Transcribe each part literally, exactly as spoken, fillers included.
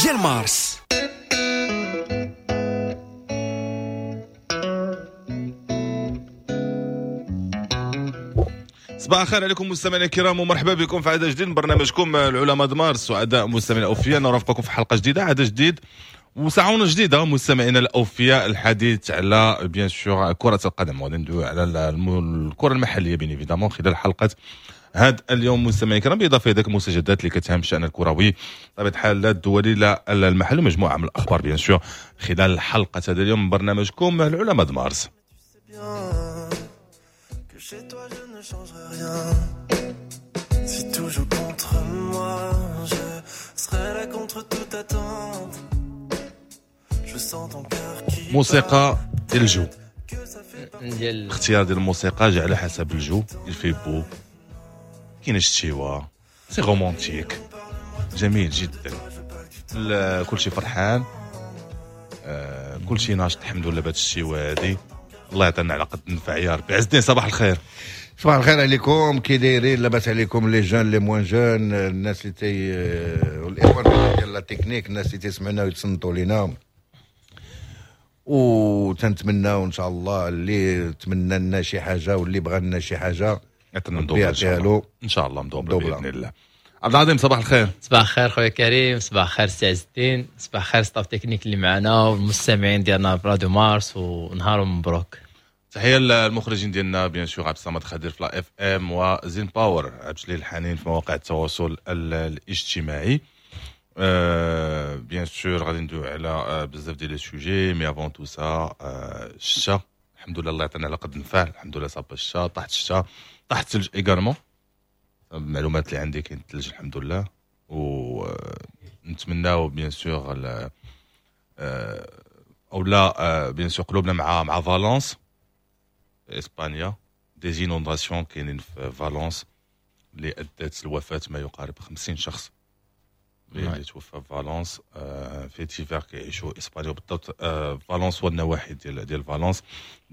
ديال مارس. صباح الخير عليكم مستمعينا الكرام، ومرحبا بكم في عدد جديد من برنامجكم العلماء د مارس. سعداء مستمعينا الاوفياء نرافقكم في حلقة جديده، عدد جديد وساعة جديدة مستمعينا الاوفياء. الحديث على bien sûr كره القدم، وغادي ندويو على الكره المحلية bien évidemment خلال حلقة هذا اليوم مستمعينا الكرام، بالاضافة الى ذاك المستجدات اللي كتهم الشان الكروي بطبيعة الحال، لا الدولي لا المحلي، مجموعة من الاخبار bien sûr خلال حلقة هذا اليوم من برنامجكم العلماء د مارس. Chez toi je ne changerai rien. Si tout joue contre moi, je serai là contre toute attente. Je sens ton cœur qui موسيقى ديال الجو، ديال الاختيار ديال الموسيقى جا على حسب الجو. il fait beau، كاين الشتيوه، c'est romantique، جميل جدا، كلشي فرحان، آه، كلشي ناشط الحمد لله بهاد الشتيوه هادي. الله يعطينا على قد النفع يا ربي. عز الدين صباح الخير. صباح الخير عليكم، كي دايرين؟ لاباس عليكم les jeunes les moins jeunes، الناس اللي تي والاخوان ديال la technique، الناس اللي تيسمعونا ويتصنتوا لينا، وتنتمناو ان شاء الله اللي تمنى لنا شي حاجة واللي بغى لنا شي حاجة يعطينا مدوبله يعطيها له ان شاء الله، مدوبله باذن الله. عبد العظيم صباح الخير. صباح الخير خويا كريم، صباح الخير سي عز الدين، صباح الخير staff technique اللي معنا والمستمعين ديالنا في راديو مارس، ونهار مبروك. تحية للمخرجين ديالنا bien sûr عبد الصمد خدير في la FM وزين باور عبد الجليل الحنين في مواقع التواصل الاجتماعي. أه bien sûr غادي ندويو على بزاف ديال les sujets، mais avant tout ça الشتا الحمد لله الله يعطينا على قد النفع الحمد لله. صاب الشتا، طاحت الشتا، طاح الثلج également، المعلومات اللي عندي كاين الثلج الحمد لله. ونتمناو bien sûr او لا bien sûr قلوبنا مع مع فالونس اسبانيا، des inondations كاينين في فالونس اللي ادت لوفاه ما يقارب خمسين شخص اللي توفى في فالونس. في تيفير كيعيشوا اسبانيا بالضبط فالونس والنواحي ديال ديال فالونس.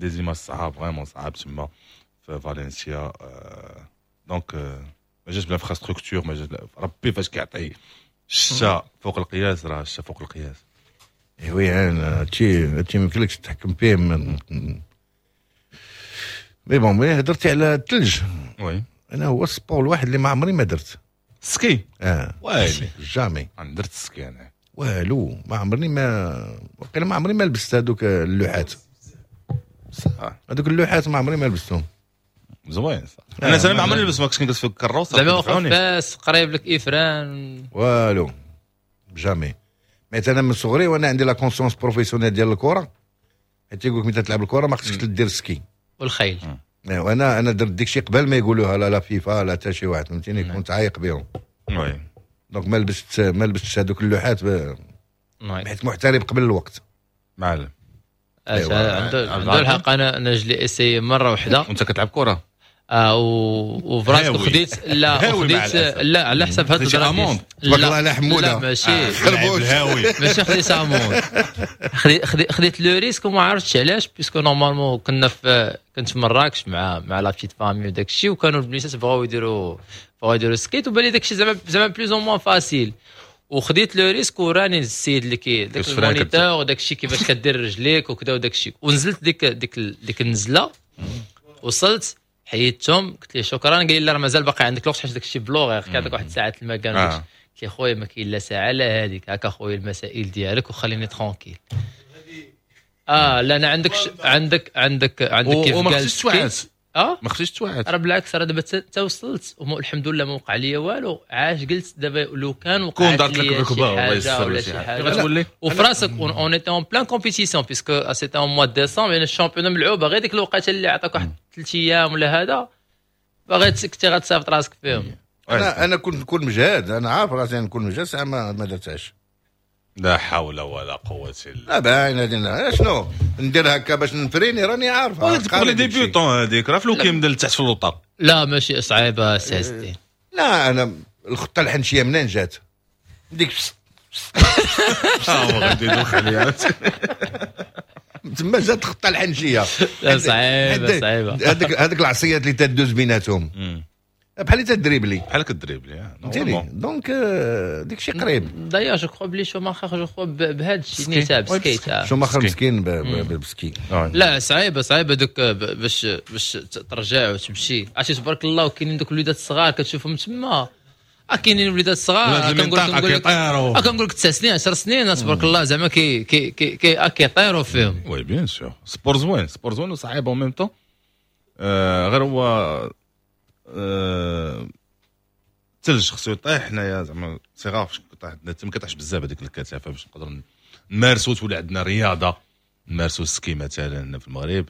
des images صعاب vraiment صعاب تما في فالنسيا. donc ما جاش ب l'infrastructure، ما جاش ربي فاش كيعطي الشتا فوق القياس، راه الشتا فوق القياس. oui هادشي هادشي ما يمكنلكش تتحكم فيه. من mais bon، mais هضرتي على الثلج. oui انا هو ال sport الواحد اللي ما عمري ما درت ski. اه ويلي jamais انا درت ال ski انا والو، ما عمرني ما وقيلا ما عمري ما لبست هذوك اللوحات. صح هذوك اللوحات ما عمري ما لبستهم. زوين صح. انا انا ما عمرني لبست، ما كنتش كنجلس في الكروسه زعما واخا فاس قريب لك افران والو jamais. mais انا من صغري وانا عندي la conscience professionnelle ديال الكره، حيت يقول لك ملي تلعب الكره ما خصكش دير ski والخيل. وانا انا درت ديك الشيء قبل ما يقولوها لا la FIFA لا حتى شي واحد، فهمتيني؟ كنت عايق بهم. oui donc ما لبست ما لبستش هذوك اللوحات حيت محترف قبل الوقت. معلم عنده عنده الحق. انا انا je l'ai essayé مرة واحدة. وانت كتلعب كره؟ اه وفراسك خديت لا خديت لا على حسب هاد amende. تبارك الله على حموده. لا ماشي الهاوي ماشي خديت amende، خديت خديت le risque وما عرفتش علاش، puisque normalement كنا في كنت في مراكش مع مع la petite famille وداك الشيء، وكانوا البنيتات بغاو يديروا بغاو يديروا skate، وبان لي داك الشيء زعما زعما plus ou moins facile، وخديت le risque وراني السيد اللي كي داك ال moniteur وداك الشيء كيفاش كدير رجليك وكذا وداك الشيء، ونزلت ديك ديك ديك النزله، وصلت حيدتهم قلت ليه شكرا، قال لي لا راه مازال باقي عندك الوقت حيت داك الشيء بلوغ كيعطيك واحد الساعة المكان. آه. قلت ليه خويا ما كاين لا ساعة لا هذيك، هكا خويا المسائل ديالك وخليني tranquille. اه لا انا عندك ش... عندك عندك عندك كيف وما خصكش توعد. اه ما خصكش توعد، راه بالعكس راه دابا تا وصلت الحمد لله ما وقع لي والو. عاش قلت دابا لو كان وقعت لي شي حاجة ولا شي حاجة غتولي وفي راسك on était en pleine compétition puisque c'était en mois décembre، يعني ال championnat ملعوبه غير ديك الوقيته اللي عطاك واحد ثلاث ايام ولا هذا باغي كنتي غتسافط راسك فيهم. انا انا كنت نكون مجهد، انا عارف راسي نكون مجهد، ساعة ما ما درتهاش. لا حول ولا قوة الا لا باين هذه شنو ندير هكا باش نفريني راني عارف. هذيك les débutants هذيك راه فلو كيمدل تحت في اللوطه. لا ماشي صعيبة سي عز الدين. لا انا الخطة الحنشيه منين جات ديك ها هو غادي يدوخ عليا تما جات الخطة الحنشيه. لا صعيبة صعيبة هذيك هذيك العصيات اللي تدوز بيناتهم بحال اللي تدريبلي بحال كدريبلي، فهمتيني؟ donc ديك الشيء قريب. d'ailleurs je crois بلي شوماخر je crois بهذا الشيء نيتا ب skate. شوماخر مسكين بال ski. لا صعيبة صعيبة دوك باش باش ترجع وتمشي. عرفتي تبارك الله، وكاينين دوك الوليدات الصغار كتشوفهم تما، كاينين وليدات صغار كنقول لك كنقول لك تسع سنين عشر سنين تبارك الله زعما كي كي كي كيطيروا فيهم. oui bien sûr، sport زوين، sport زوين وصعيب en même temps. غير هو الثلج خصو يطيح. حنايا زعما c'est rare فاش كيطيح، ما كيطيحش بزاف هذيك الكثافة باش نقدروا نمارسوا، تولي عندنا رياضة نمارسوا ال ski مثلا في المغرب.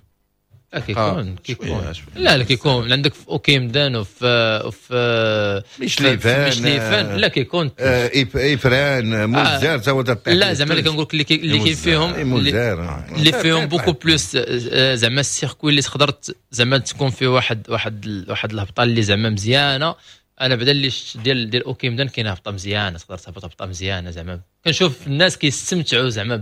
لا كيكون كيكون لا لا كيكون عندك في اوكيمدن وفي وفي ميشليفان. ميشليفان لا كيكون افران موزار تا هو. لا زعما اللي كنقول لك اللي كاين فيهم اللي فيهم beaucoup plus زعما ال circuit اللي تقدر زعما تكون فيه واحد واحد واحد الهبطه اللي زعما مزيانه. انا بعدا اللي شفت ديال ديال اوكيمدن كاينه هبطه مزيانه، تقدر تهبط هبطه مزيانه. زعما كنشوف الناس كيستمتعوا زعما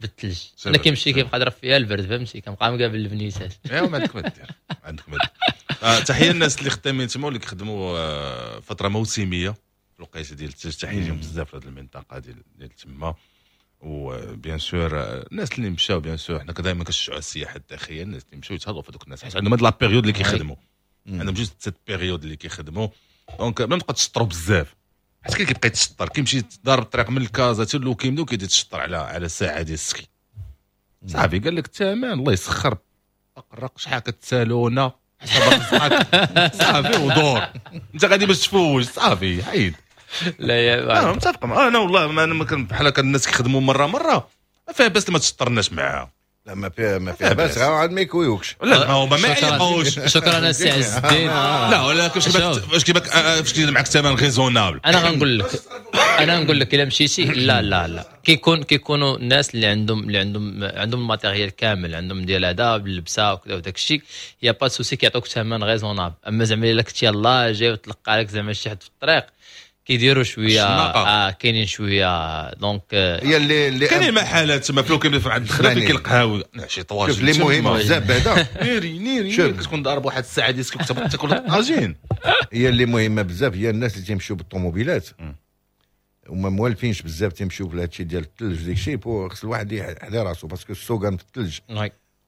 بالثلج. انا كيمشي كيبقى ضرب فيها البرد، فهمتي؟ كنبقى مقابل البنيتات. ايوا ما عندك ما دير، عندك ما دير. آه تحية للناس اللي خدامين تما واللي كيخدموا آه فترة موسميه في الوقيته ديال الثلج. تحية لهم بزاف في هذه المنطقة ديال ديال تما. و bien sûr الناس اللي مشاو، bien sûr حنا دائما كنشجعوا السياحة الداخليه، الناس اللي مشاو يتهلاو في هذوك الناس حيت عندهم هاد la période اللي كيخدموا، عندهم juste cette période اللي كيخدموا. donc بلا ما تبقى تشطروا بزاف، حيت كاين كيبقى يتشطر، كيمشي ضارب الطريق من الكازا حتى لوكيمدو كيدي يتشطر على على ساعة ديال ال ski. صافي قال لك الثمن الله يسخر، اقرق شحال كتسالونا حسب رزقك صافي ودور انت غادي باش تفوج صافي حيد. لا يا انا متفق، انا والله ما انا بحال هكا الناس كيخدموا مرة مرة ما فيها باس ما تشطرناش معاهم. لا ما فيها ما فيها باس، غير عاد ما يكويوكش. لا ما هو ما يعيقوش. شكرا السي عز الدين. لا ولا كيفاش كيباك فاش كيدير معاك ثمن raisonnable. انا غنقول لك انا نقول لك الا مشيتي لا لا لا كيكون كيكونوا الناس اللي عندهم اللي عندهم عندهم ال matériel كامل، عندهم ديال هذا باللبسه وكذا وداك الشيء، y a pas de souci كيعطوك ثمن raisonnable. اما زعما الا كنتي يلاه جاي وتلقى لك زعما شي حد في الطريق كيديروا شوية اه كاينين شوية donc هي اللي اللي كاينين محلات تما فلو كاين عند الدخلة فين كاين القهاوي شي طواجن. شوف اللي مهم بزاف بعدا نيري نيري كتكون ضارب واحد الساعة ديال كتبقى تاكل الطاجين. هي اللي مهمة بزاف هي الناس اللي تيمشيو بالطوموبيلات وما موالفينش بزاف تيمشيو في هادشي ديال الثلج ديك الشيء، خص الواحد يحضي راسو parce que السوقان في الثلج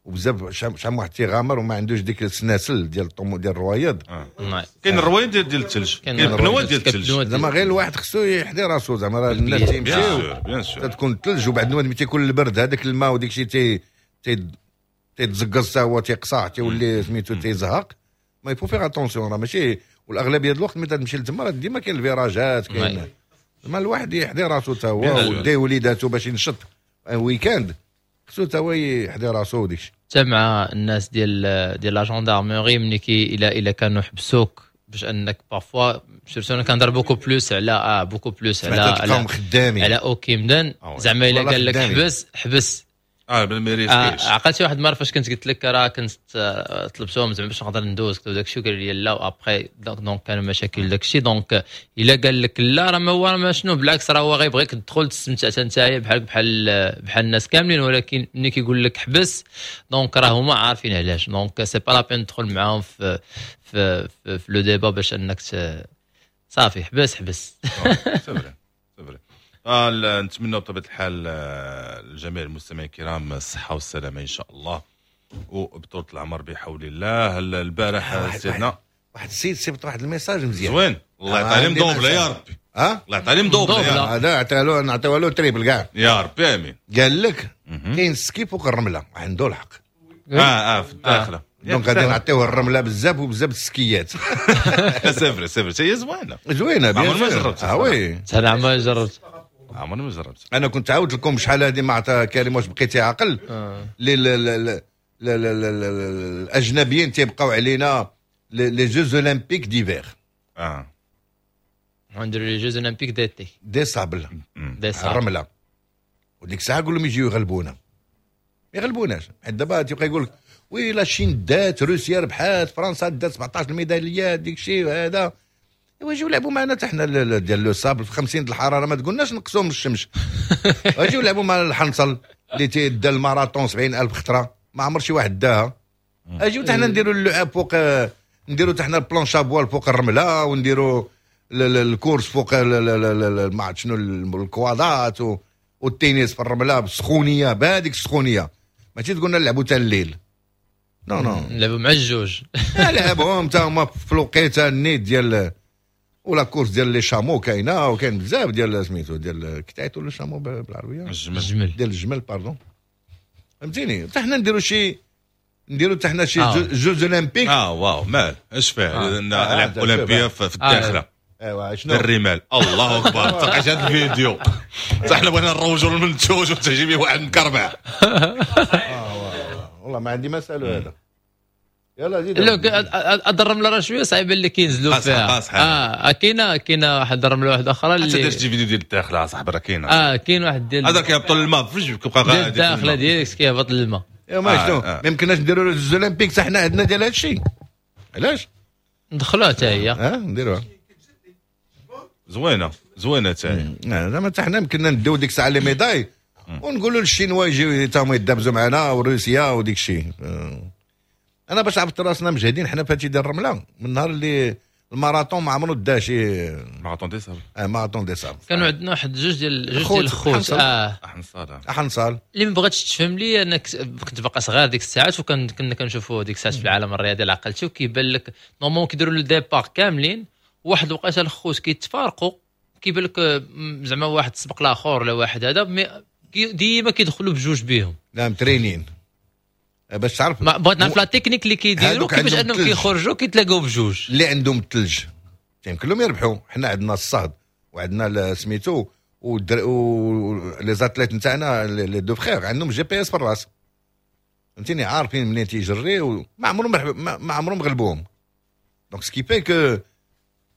وبزاف شحال من واحد تيغامر وما عندوش ديك السناسل ديال الطومو ديال الروايض. آه. كاين الروايض ديال ديال الثلج، كاين البنوات ديال الثلج، زعما غير الواحد خصو يحضي راسو زعما راه الناس تيمشيو تكون الثلج وبعد ملي تيكون البرد هذاك الماء وديك الشيء تي تيتزقز حتى هو تيقصع تيولي سميتو تيزهق. mais faut faire attention راه ماشي، والاغلبيه ديال الوقت ملي تمشي لتما راه ديما كاين الفيراجات كاين زعما الواحد يحضي راسو حتى هو ودي وليداتو باش ينشط week-end خصو حتى هو يحضي راسو وديك الشيء. حتى مع الناس ديال ديال la gendarmerie ملي كي الى الى كانوا حبسوك باش انك parfois surtout انا كنهضر beaucoup plus على اه beaucoup plus على على على اوكيمدن زعما الا قال لك حبس حبس اه ما ريسكيش. عقلتي واحد المرة فاش كنت قلت لك راه كنت طلبتهم زعما باش نقدر ندوز وداك الشيء قال لي لا و après donc كانوا مشاكل داك الشيء. donc الا قال لك لا راه ما هو ما شنو بالعكس راه هو غيبغيك تدخل تستمتع حتى نتايا بحال بحال بحال الناس كاملين، ولكن ملي كيقول لك حبس donc راه هما عارفين علاش. donc c'est pas la peine تدخل معاهم في في في, في le débat باش انك صافي حبس حبس. c'est vrai c'est vrai. آه نتمنى بطبيعة الحال لجميع المستمعين الكرام الصحة والسلامة ان شاء الله وبطولة العمر بحول الله. البارح سيدنا واحد السيد صيفط واحد ال message مزيان زوين، الله يعطيه مدوبله يا ربي. ها الله يعطيه مدوبله، هذا عطاه له نعطيوها له triple كاع يا ربي امين. قال لك كاين ski فوق الرملة، عنده الحق. اه اه في الداخلة donc غادي نعطيوه الرملة بزاف وبزاف السكيات. c'est vrai c'est vrai هي زوينة زوينة bien ما جربت. اه oui انا ما جربت عمرني ما جربت. انا كنت عاودت لكم شحال هذه مع كريم واش بقيتي عاقل آه. الاجنبيين تيبقاو علينا les Jeux olympiques d'hiver. اه نديرو les Jeux olympiques d'été des sables des sables الرملة، وديك الساعة قول لهم يجيو يغلبونا، ما يغلبوناش. حيت دابا تيبقى يقول لك oui la Chine دات، روسيا ربحات، فرنسا دات سبعطاش الميداليات ديك الشيء هذا. ايوا جيو لعبوا معنا حتى حنا ديال le sable في خمسين الحرارة، ما تقولناش نقصوا من الشمس. اجيو لعبوا مع الحنصل اللي تيدا الماراطون سبعين ألف خطره ما عمر شي واحد داها. اجيو حتى حنا نديروا اللعاب فوق نديروا حتى حنا ال planche à voile فوق الرملة، ونديروا ال course فوق ما عرفت شنو الكوادات، والتنس في الرملة بالسخونيه، بهذيك السخونيه. ماشي تقولنا نلعبوا حتى الليل، non non، نلعبوا مع الجوج. لعبهم حتى هما في الوقيته النيت ديال ولا course ديال les chameaux كاينه، وكاين بزاف ديال سميتو ديال كتعيطوا les chameaux بالعربيه؟ الجمل. ديال الجمل، pardon. فهمتيني؟ حتى حنا نديروا شي نديروا حتى حنا شي آه. jeux olympiques. اه واو، مال اش فيه آه. العاب آه. اولمبيه في الداخلة. ايوا شنو الرمال، الله اكبر. تلقاش هذا الفيديو، حتى حنا بغينا نروجوا للمنتوج وتجيبي واحد مكربع. والله ما عندي ما اسالو هذا. يلا زيد. لا، هاد الرملة راه شوية صعيبة اللي كينزلوا فيها. اه كاينه كاينه واحد الرملة واحدة اخرى اللي حتى درت فيديو ديال الداخلة صاحبي، راه كاينه. اه كاين واحد ديال هذا كيهبطوا للماء، فاش كيبقى غادي الداخلة ديالك كيهبط للماء. يا ما شنو ما يمكنناش نديروا les olympiques حنا عندنا ديال هذا الشيء، علاش ندخلوها حتى هي؟ اه نديروها. زوينة زوينة حتى هي. زعما حتى حنا يمكننا نديو ديك الساعة les médailles ونقولوا للشينوا يجيو تا هما يدابزوا معنا وروسيا وديك الشيء. انا باش عرفت راسنا مجهدين حنا في هادشي ديال الرملة من النهار اللي الماراطون ما عمرو دا شي marathon des sables. اه marathon des sables. كانوا عندنا واحد جوج ديال جوج ديال الخوت اه احنصال. احنصال اللي ما بغاتش تفهم لي، انا كنت باقي صغير ديك الساعات، وكان كنا كنشوفوا ديك الساعات في العالم الرياضي العقلتي، وكيبان لك normalement كيديروا le départ كاملين، واحد الوقيته الخوت كيتفارقوا، كيبان لك زعما واحد سبق الاخر ولا واحد هذا، mais ديما كيدخلوا بجوج بهم. لا مترينين باش تعرف. ما بغيت نعرف la technique اللي كيديروا كيفاش انهم كيخرجوا كيتلاقاو بجوج. اللي عندهم الثلج يمكن لهم يربحوا، حنا عندنا الصهد وعندنا سميتو و les athlètes نتاعنا les deux frères عندهم GPS في الراس، فهمتيني؟ عارفين منين تيجري، ما عمرهم ما عمرهم غلبوهم. donc ce qui fait que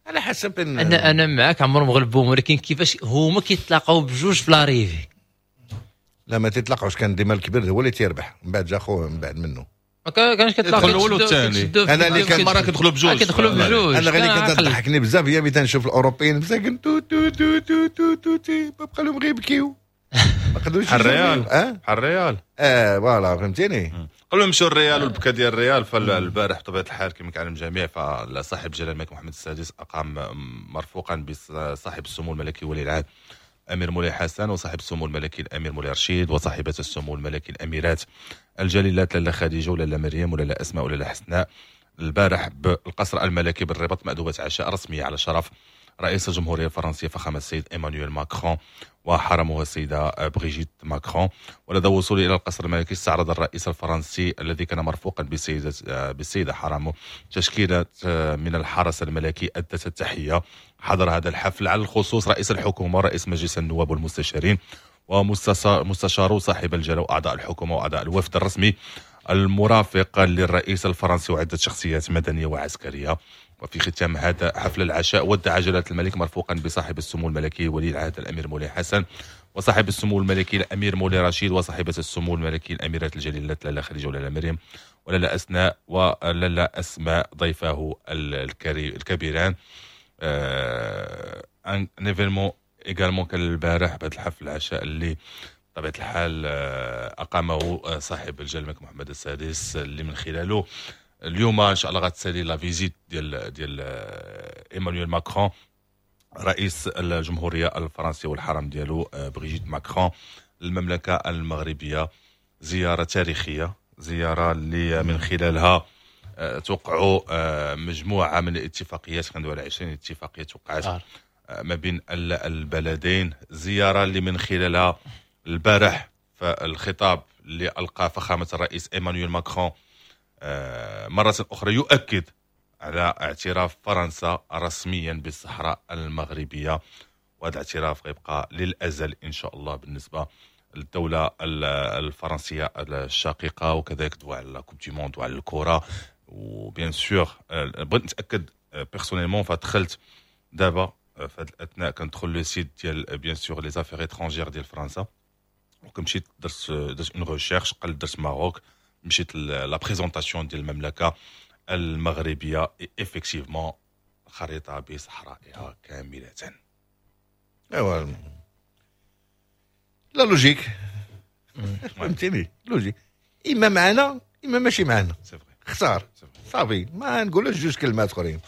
على حسب. انا انا معاك، عمرهم غلبوهم، ولكن كيفاش هما كيتلاقاو بجوج في l'arrivée؟ لا ما تيتلاقاوش، كان ديما الكبير هو اللي تيربح، من بعد جا خوه من بعد منه. ما كانش كتلاقى الاول والثاني. انا اللي كان مرة كيدخلوا بجوج، كيدخلوا بجوج. انا غير اللي كانت تضحكني بزاف هي ملي تنشوف الاوروبيين مساكن تو تو تو تو تو تو تي بقى لهم غير يبكيو، ما قدروش. الريال اه الريال اه voilà، فهمتيني؟ قبل نمشيو الريال والبكا ديال الريال، فالبارح بطبيعة الحال كما كيعلم الجميع فصاحب جلاله الملك محمد السادس اقام مرفوقا بصاحب السمو الملكي ولي العهد الامير مولاي حسن، وصاحب السمو الملكي الامير مولاي رشيد، وصاحبه السمو الملكي الاميرات الجليلات لاله خديجة ولاله مريم ولاله اسماء ولاله حسناء. البارح بالقصر الملكي بالرباط مأدبة عشاء رسمية على شرف رئيس الجمهورية الفرنسية فخامة السيد ايمانويل ماكرون وحرمه السيدة بريجيت ماكرون. ولدى وصوله الى القصر الملكي استعرض الرئيس الفرنسي الذي كان مرفوقا بالسيده بالسيده حرمه تشكيله من الحرس الملكي ادت التحية. حضر هذا الحفل على الخصوص رئيس الحكومة ورئيس مجلس النواب والمستشارين ومستشارو صاحب الجلاله واعضاء الحكومة واعضاء الوفد الرسمي المرافق للرئيس الفرنسي وعده شخصيات مدنية وعسكرية. وفي ختام هذا حفل العشاء ودع جلالة الملك مرفوقا بصاحب السمو الملكي ولي العهد الأمير مولاي حسن، وصاحب السمو الملكي الأمير مولاي رشيد، وصاحبة السمو الملكي الأميرات الجليلات لاله خديجة ولاله مريم ولاله أسناء ولاله أسماء ضيفاه الكبيران. un événement également كان البارح بهذا الحفل العشاء اللي بطبيعة الحال أقامه صاحب الجلالة الملك محمد السادس، اللي من خلاله اليوم ان شاء الله غتسالي la visite ديال ديال ايمانويل ماكرون رئيس الجمهورية الفرنسية والحرم ديالو بريجيت ماكرون المملكة المغربية. زيارة تاريخية، زيارة اللي من خلالها توقعوا مجموعة من الاتفاقيات، كندوي على عشرين اتفاقية توقعت ما بين البلدين. زيارة اللي من خلالها البارح فالخطاب اللي القى فخامة الرئيس ايمانويل ماكرون مرة أخرى يؤكد على اعتراف فرنسا رسميا بالصحراء المغربية، وهذا الاعتراف غيبقى للأزل إن شاء الله بالنسبة للدولة الفرنسية الشقيقة، وكذلك دوا على Coupe du monde وعلى الكرة. و bien sûr بغيت نتأكد personnellement، فدخلت دابا في هذه الأثناء كندخل le site ديال bien sûr les affaires étrangères ديال فرنسا، وكمشيت درت درت une recherche، قلت درت Maroc، مشيت la présentation ديال المملكة المغربية، effectivement خريطة بصحرائها كاملة. ايوا la logique، فهمتيني؟ logique، اما معنا اما ماشي معنا، اختار. صافي، ما نقولوش جوج كلمات اخرين،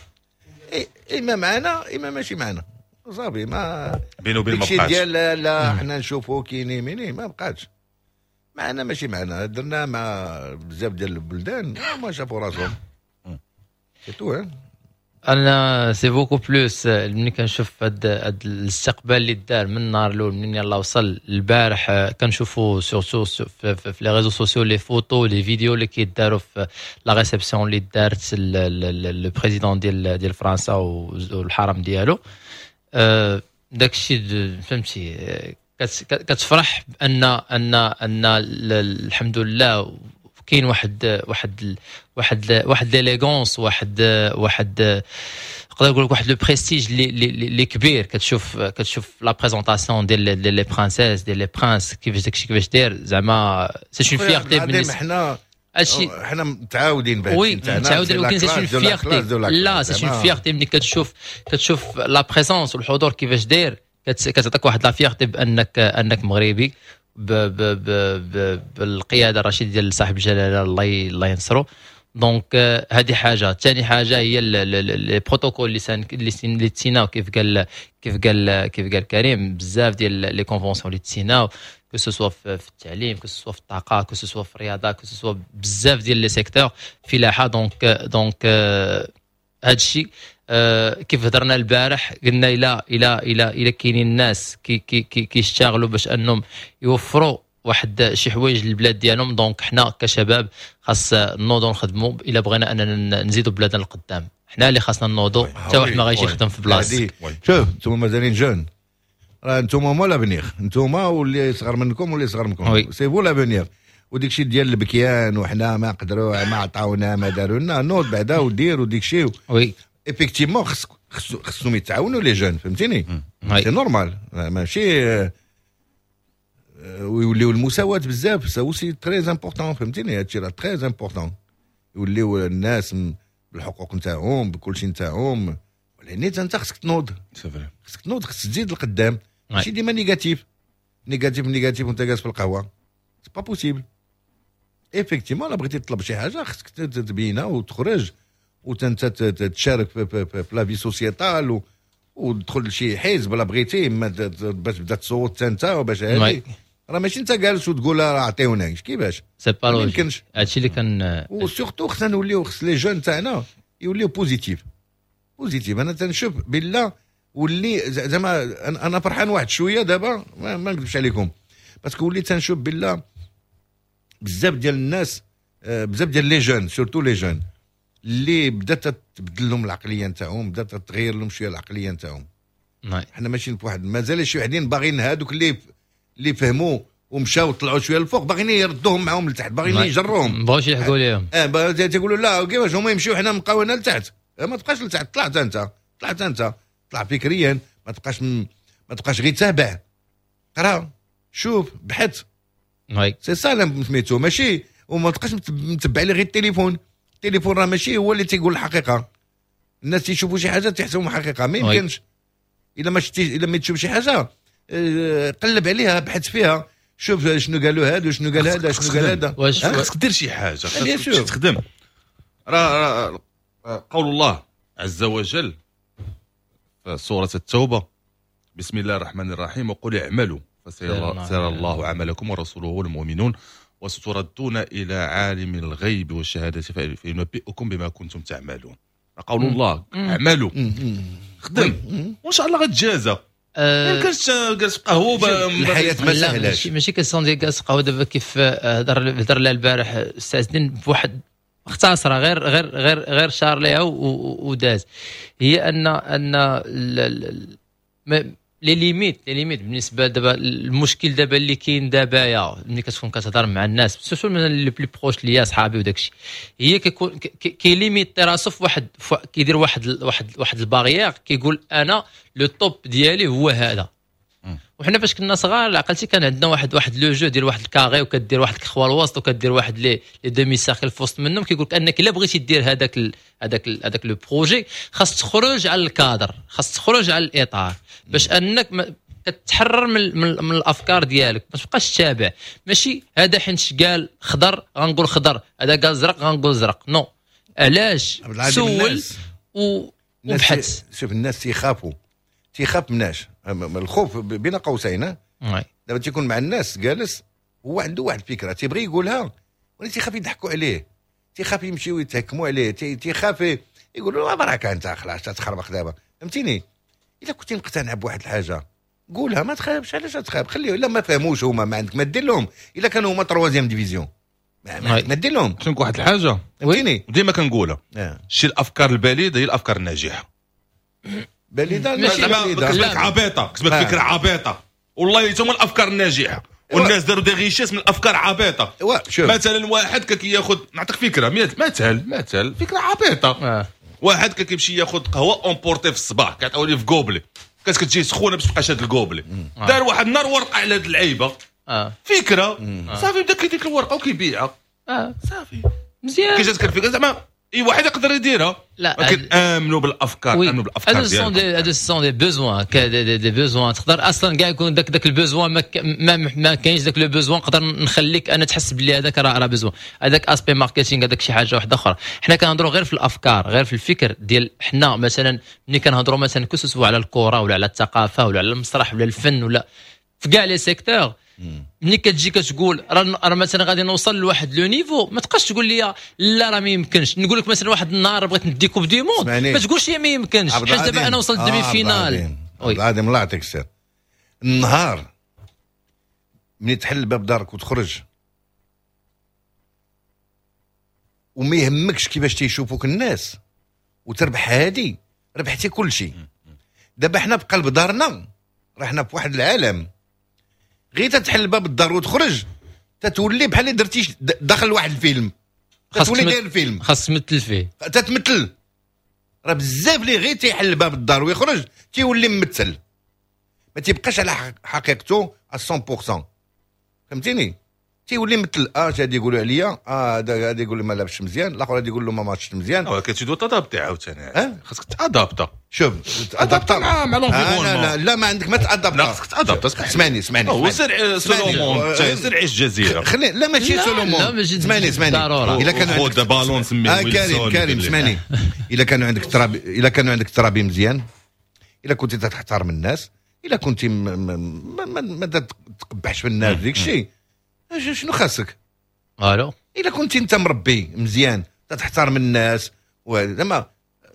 اما معنا اما ماشي معنا، صافي. ما بينه وبين ما بقاش ديال لا, لا حنا نشوفوا كيني ميني، ما بقاتش معنا ماشي معنا. درنا مع بزاف ديال البلدان ما شافوا راسهم، c'est tout. انا c'est beaucoup plus ملي كنشوف هاد هاد الاستقبال اللي دار من النهار الاول، منين يلاه وصل البارح، كنشوفوا surtout في, في les réseaux sociaux les photos، les vidéos اللي كيداروا في la réception اللي دارت le président ديال ديال فرنسا والحرم ديالو. داك الشيء فهمتي، كتفرح بان ان ان الحمد لله كاين واحد واحد واحد واحد l'élégance، واحد واحد نقدر نقول لك واحد le prestige اللي اللي كبير. كتشوف كتشوف la présentation ديال les princesses، ديال les princes، كيفاش داكشي كيفاش داير، زعما c'est une fierté. بالنسبة حنا هادشي حنا متعاودين به، oui متعاودين، ولكن c'est une fierté، لا c'est une fierté ملي كتشوف كتشوف la présence والحضور كيفاش داير، كتعطيك واحد la fierté بانك انك مغربي ب ب ب ب بالقيادة الرشيدة ديال صاحب الجلاله، الله الله ينصرو. donc هذه حاجه. ثاني حاجة هي les protocoles اللي سان اللي اللي تسيناو، كيف قال كيف قال كيف قال كريم، بزاف ديال les conventions اللي تسيناو، que ce soit في التعليم، que ce soit في الطاقه، que ce soit في الرياضه، que ce soit بزاف ديال les secteurs، فلاحه. donc donc هذا الشيء كيف هضرنا البارح، قلنا الى الى الى الى كاينين الناس كي كي كي كيشتغلوا باش انهم يوفروا واحد شي حوايج للبلاد ديالهم، donc حنا كشباب خاص نوضوا نخدموا الا بغينا اننا نزيدوا بلادنا للقدام. حنا اللي خاصنا نوضوا، حتى واحد ما غايجي يخدم في بلاصتك. شوف، انتم مازالين jeunes، راه انتم هما l'avenir، انتم واللي صغر منكم واللي صغر منكم، c'est vous l'avenir. وديك الشيء ديال البكيان وحنا ما قدروا، ما عطاونا، ما داروا لنا، نوض بعدا ودير وديك الشيء. oui effectivement خص خصهم يتعاونوا les jeunes، فهمتيني، c'est normal، ماشي ويوليو المساواة بزاف، ça aussi très important، فهمتيني، هادشي راه très important، يوليو الناس بالحقوق نتاعهم، بكل شيء نتاعهم. ولكن انت خصك تنوض، خصك تنوض، خصك تزيد لقدام، ماشي ديما négatif négatif négatif وانت جالس في القهوه، c'est pas possible. effectivement لا بغيتي تطلب شي حاجة خصك تبينها وتخرج وانت تشارك في, في, في la vie sociétale وتدخل لشي حزب لا بغيتي، باش تبدا تصوت انت وباش هادي. راه ماشي انت جالس وتقول راه عطيونا، كيفاش؟ c'est pas logique هادشي اللي كان. و surtout خصنا نوليو، خص les jeunes تاعنا يوليو positifs positifs. انا تنشوف بالله واللي زعما انا فرحان واحد شوية دابا، ما, ما نكذبش عليكم، parce que وليت تنشوف بالله بزاف ديال الناس، آه، بزاف ديال les jeunes، surtout les jeunes، اللي بدات تبدل لهم العقلية نتاعهم، بدات تغير لهم شوية العقلية نتاعهم. حنا ماشيين في واحد، مازال شي وحدين باغيين هادوك اللي اللي فهموا ومشاو طلعوا شوية الفوق، باغيين يردوهم معاهم لتحت، باغيين يجروهم. ما بغاوش يلحقوا ليهم. اه، تيقولوا لا، كيفاش هما يمشيو حنا نبقاو هنا لتحت؟ آه، ما تبقاش لتحت، طلعت انت، طلعت انت، طلع فكريا، ما تبقاش م... ما تبقاش غير تابع، قرا، شوف، بحث. oui c'est ça سميتو، ماشي وما تبقاش متبع لي غير التليفون. التليفون راه ماشي هو اللي تيقول الحقيقه. الناس تيشوفوا شي حاجة تيحسبوا حقيقه، ما يمكنش. الا ما شتي، الا ما تشوف شي حاجه، آه، قلب عليها، بحث فيها، شوف شنو قالوا هذا، شنو قال هذا، شنو قال هذا. خاصك دير شي حاجه، خاصك تخدم. راه قول الله عز وجل في سورة التوبه، بسم الله الرحمن الرحيم: وقل اعملوا فسيرى الله عملكم ورسوله والمؤمنون وستردون الى عالم الغيب والشهادة فينبئكم بما كنتم تعملون. قول الله اعملوا، خدم وان شاء الله غتجازى. ما يمكنش جالس في قهوه. الحياة ما سهلاش. ماشي ماشي question ديال جالس قهوه. دابا كيف هضر هضر لها البارح السي الدين بواحد مختصره، غير غير غير غير شار ليها وداز، هي ان ان les limites les limites بالنسبة دابا، المشكل دابا اللي كاين دابا يا ملي كتكون كتهضر مع الناس، surtout من les plus proches ليا، صحابي وداك الشيء، هي كيكون كي limiter راسو في واحد، كيدير واحد واحد واحد ال barrière، كيقول انا le top ديالي هو هذا. وحنا فاش كنا صغار، عقلتي، كان عندنا واحد واحد le jeu ديال واحد ال carré وكدير واحد ال croix الوسط وكدير واحد les les demi-cercles في وسط منهم. كيقول لك انك الا بغيتي دير هذاك هذاك هذاك le projet خاص تخرج على الكادر، خاص تخرج على الاطار، باش انك كتحرر من, من, من الافكار ديالك، ما تبقاش تتابع. ماشي هذا حيت قال خضر غنقول خضر، هذا قال زرق غنقول زرق، non. علاش؟ سول و وبحث. شوف الناس تيخافوا، تيخاف مناش الخوف بين قوسين. دابا تيكون مع الناس جالس هو عنده واحد الفكرة تيبغي يقولها، ولكن تيخاف يضحكوا عليه، تيخاف يمشيو يتهكموا عليه، تيخاف يقولوا له بركة انت خلاص تخربق دابا، فهمتيني؟ الا كنتي مقتنع بواحد الحاجة قولها، ما تخافش. علاش تخاف؟ خليه، الا ما فهموش هما ما عندك ما دير لهم. الا كانوا هما troisième division ما عندك ما دير لهم. شنو واحد الحاجة فهمتيني ديما كنقولها، شي الافكار البليده هي الافكار الناجحة. بليده زعما كتبان عبيطه، كتبان فكرة عبيطه، والله هما الافكار الناجحة. والناس داروا des richesses من الافكار عبيطه. مثلا واحد كياخذ، نعطيك فكرة مثال مثال فكرة عبيطه، آه. واحد كيمشي ياخذ قهوة à emporter في الصباح، كتعاوني في gobelet، كتجي سخونة باش تبقى شاد ال gobelet. آه. دار واحد النهار ورقة على هاد اللعيبة، آه. فكرة. آه. صافي بدا كيديك الورقة وكيبيعها. آه. صافي مزيان. كي جاتك الفكرة زعما اي واحد يقدر يديرها، ولكن امنوا بالافكار، امنوا بالافكار ديالكم. هادو sont des besoins، des, des besoins تقدر اصلا كاع يكون داك داك ال besoin ما ما, ما كاينش داك le besoin، نقدر نخليك انا تحس بلي هذاك راه راه besoin، هذاك aspect marketing، هذاك شي حاجة واحدة اخرى. حنا كنهضروا غير في الافكار، غير في الفكر ديال حنا. مثلا ملي كنهضروا مثلا que ce soit على الكره ولا على الثقافة ولا على المسرح ولا الفن ولا في كاع les secteurs، ملي كتجي كتقول راه مثلا غادي نوصل لواحد le niveau، ما تبقاش تقول لي لا راه ما يمكنش. نقول لك مثلا واحد النهار بغيت ندي coupe du monde، ما تقولش لي ما يمكنش، حيت دابا انا وصلت demi-finale. عبد العظيم الله يعطيك السر. النهار ملي تحل باب دارك وتخرج وما يهمكش كيفاش تيشوفوك الناس وتربح هادي، ربحتي كل شيء. دابا حنا بقلب دارنا راه حنا في واحد العالم، غير تتحل باب الدار وتخرج تتولي بحال اللي درتي داخل واحد الفيلم، تتولي داير الفيلم، خاص تمثل فيه، تتمثل. راه بزاف اللي غير تيحل باب الدار ويخرج تيولي ممثل، ما تيبقاش على حقيقته مية بالمية، فهمتيني؟ تيولي مثل اه هادي يقولوا عليا، اه هذا غادي يقول لي ما لابسش مزيان، الاخر غادي يقول له ما ماتش مزيان. ولكن tu dois t'adapter عاوتاني، خاصك t'adapter. شوف t'adapter مع مع l'environnement. لا, لا لا ما عندك ما t'adapter، لا خاصك t'adapter. اسمعني اسمعني، هو سير seul au monde، سير عيش جزيرة. خلي لا ماشي seul au monde، اسمعني اسمعني، الا كان عندك بالون سميه كريم كريم اسمعني، الا كانوا عندك ترابي، الا كانوا عندك ترابي مزيان، الا كنت تحترم الناس، الا كنت ما ما تقبحش في الناس ديك الشيء، شنو خاصك؟ الو الا كنت انت مربي مزيان تحترم الناس، زعما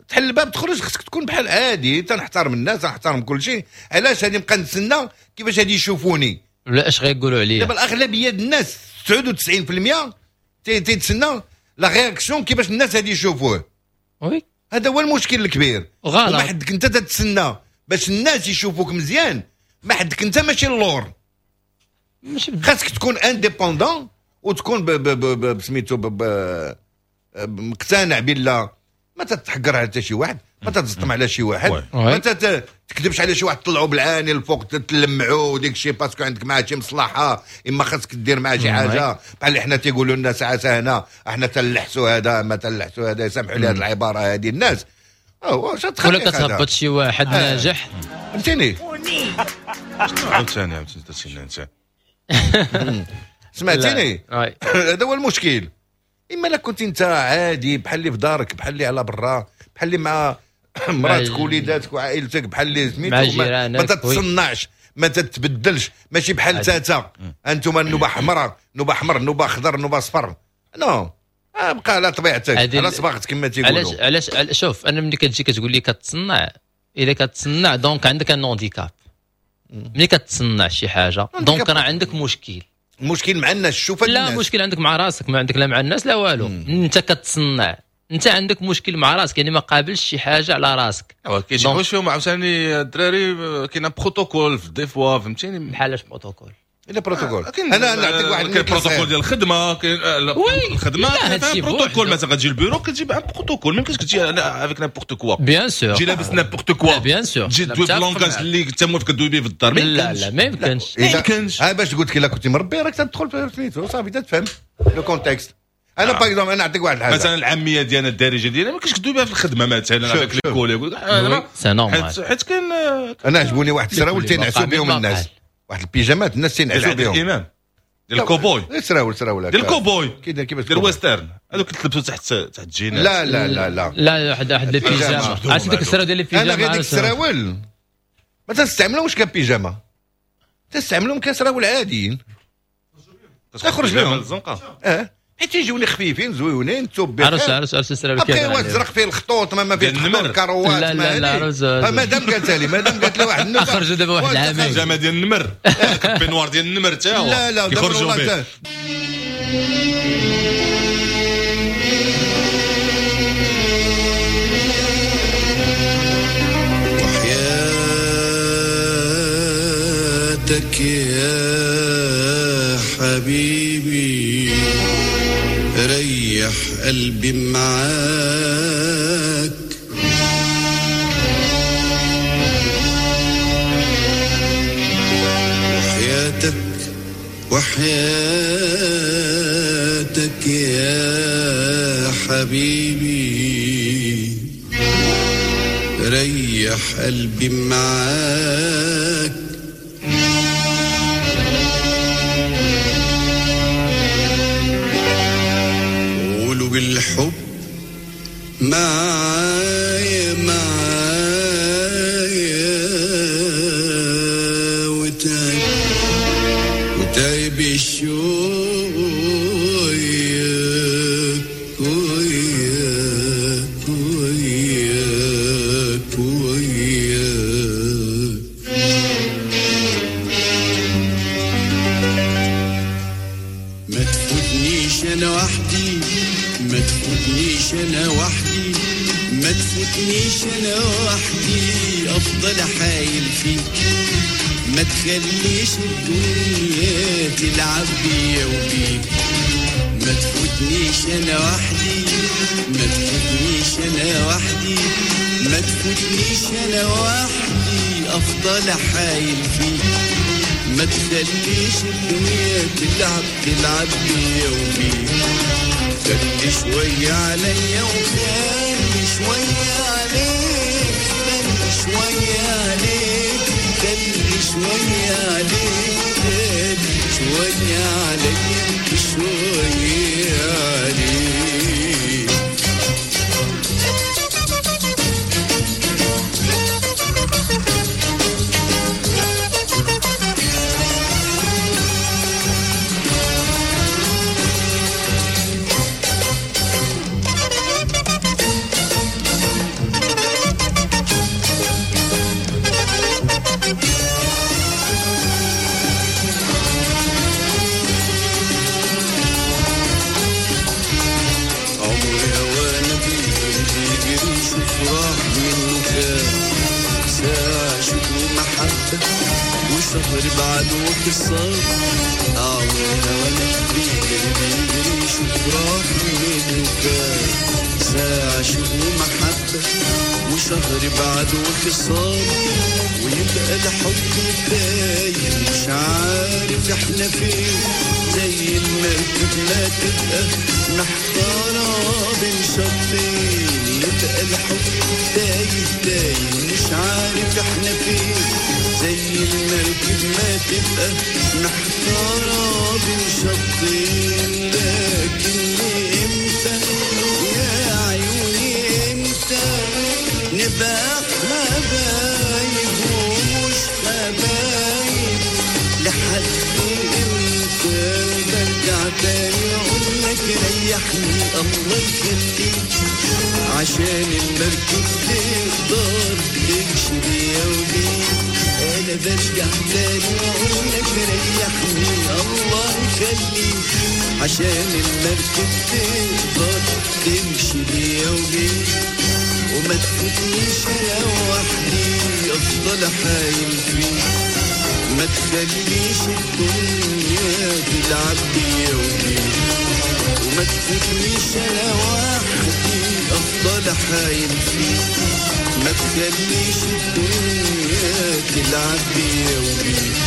تحل الباب تخرج خصك تكون بحال عادي، تنحترم الناس تنحترم كل شيء. علاش غادي نبقى نتسنى كيفاش غادي يشوفوني ولا اش غيقولوا عليا؟ دابا الاغلبية ديال الناس تسعة وتسعين بالمية تيتسنى la réaction كيفاش الناس غادي يشوفوه. oui هذا هو المشكل الكبير. غلط. ما حدك انت تتسنى باش الناس يشوفوك مزيان، ما حدك انت ماشي اللور، خاصك تكون indépendant وتكون بسميتو مقتنع بالله، ما تتحقر على حتى شي واحد، ما تتزطم على شي واحد، ما تكذبش على شي واحد، تطلعوا بالعاني الفوق تلمعوا وديك الشيء parce que عندك معاه شي مصلحة، اما خاصك دير معاه شي حاجة. بحال اللي حنا تيقولوا لنا ساعة هنا احنا تنلحسوا هذا ما تنلحسوا هذا، يسامحوا لي هذه العبارة هذه الناس. ولا كتهبط شي واحد ناجح، فهمتيني؟ عاوتاني عاوتاني درتي انت سمعتيني؟ هذا هو المشكل. اما لا كنت انت عادي بحال اللي في دارك، بحال اللي على برا، بحال اللي مع مراتك وليداتك وعائلتك، بحال اللي سميتو، ما, ما تتصنعش، ما تتبدلش، ماشي بحال تاتا انتم النوبة حمراء، نوبه حمر، نوبه خضر، نوبه صفر. non، بقى على طبيعتك، على صباغتك كما تيقولوا. علاش علاش شوف انا ملي كتجي كتقول لي كتصنع، الا كتصنع donc عندك un handicap. ملي كتصنع شي حاجة donc راه عندك مشكل. مشكل مع الناس، شوف لا مشكل عندك مع راسك، ما عندك لا مع الناس لا والو. انت كتصنع، انت عندك مشكل مع راسك، يعني ما قابلش شي حاجة على راسك. كاين شي حوايج فيهم عاوتاني الدراري، كاين بروتوكول في des fois، فهمتيني؟ بحال اش بروتوكول؟ الا بروتوكول انا نعطيك واحد البروتوكول ديال الخدمة، كاين الخدمة كاين بروتوكول. مثلا غتجي البيرو كتجيب un protocole، ما يمكنش تجي avec n'importe quoi. bien sûr تجي لابس n'importe quoi، bien sûr تجي دوي ب langage اللي انت موالف كدوي به في الدار. لا لا ما يمكنش، ما يمكنش. ها باش قلت لك الا كنتي مربي راك تدخل في سميتو صافي تفهم le contexte. انا par exemple انا نعطيك واحد الحاجة، مثلا العامية ديالنا الدارجة ديالنا ما كاينش كدوي بها في الخدمة مثلا avec les collègues، c'est normal. حيت كاين انا عجبوني واحد السراول تينعسوا بهم الناس، واحد البيجامات الناس تينعسوا بهم. الامام ديال الكوبوي. سراول سراول ديال الكوبوي. كيدير كيفاش؟ ديال ال western، هذوك تلبسوا تحت تحت الجينات. لا لا لا لا لا، واحد واحد البيجاما، عرفتي ديك السراول ديال البيجاما؟ انا غير ديك السراول ما تنستعملهمش كبيجاما، تنستعملهم كسراول عاديين. تخرج بهم الزنقة. اه حيت تيجوني خفيفين زويونين توب بخير. عرفت عرفت عرفت السراول. كيف الزرق فيه الخطوط، ما ما فيه الخطوط كروات. لا لا لا لا، مادام قالت لي مادام قالت لي واحد النوبة خرجوا دابا واحد العامين البيجاما ديال النمر، peignoir ديال النمر تا هو. لا لا كيخرجوا به. وحياتك يا حبيبي ريح قلبي معاك، وحياتك وحياتك يا حبيبي ريح قلبي معاك، بالحب معايا معايا وتعب وتعب الشوق وياك وياك وياك وياك. ما تفوتنيش انا وحدي، ما تفوتنيش انا وحدي، ما تفوتنيش انا وحدي، افضل حايل فيك، ما تخليش الدنيا تلعب بيا وبيك. ما تفوتنيش انا وحدي، ما تفوتنيش انا وحدي، ما تفوتنيش انا وحدي، افضل حايل فيك، ما تخليش الدنيا تلعب تلعب بيا وبيك. خلي شوية عليا وخلي شوية عليك، خلي شوية عليك، خلي شوية عليك، خلي شوية عليا شوية عليك. وشهر بعد وخسار عمرنا وانا بيجري بيجري شوف راح منه كان ساعة شوق ومحبة وشهر بعد وخسار، ويبقى الحب تايه مش عارف احنا فين، زي المركب ما تبقى محتارة بين شطين، يبقى الحب تايه تايه مش عارف احنا فين، زي المركب ما تبقى محتارة بين شطين. لكن امتى يا عيوني امتى نبقى حبايب ومش حبايب، لحد امتى برجع تاني اقولك ريحني الله يخليك، عشان المركب تقدر تمشي بيا وبيك. انا برجع تاني واقولك ريحني الله يخليك، عشان المركب تقدر تمشي بيا وبيك. وما تفوتنيش انا وحدي افضل حايل فيك، ما تخليش الدنيا تلعب بيا وبيك. وما تفوتنيش انا وحدي افضل حايل فيك، ما تخليش الدنيا تلعب بيا وبيك.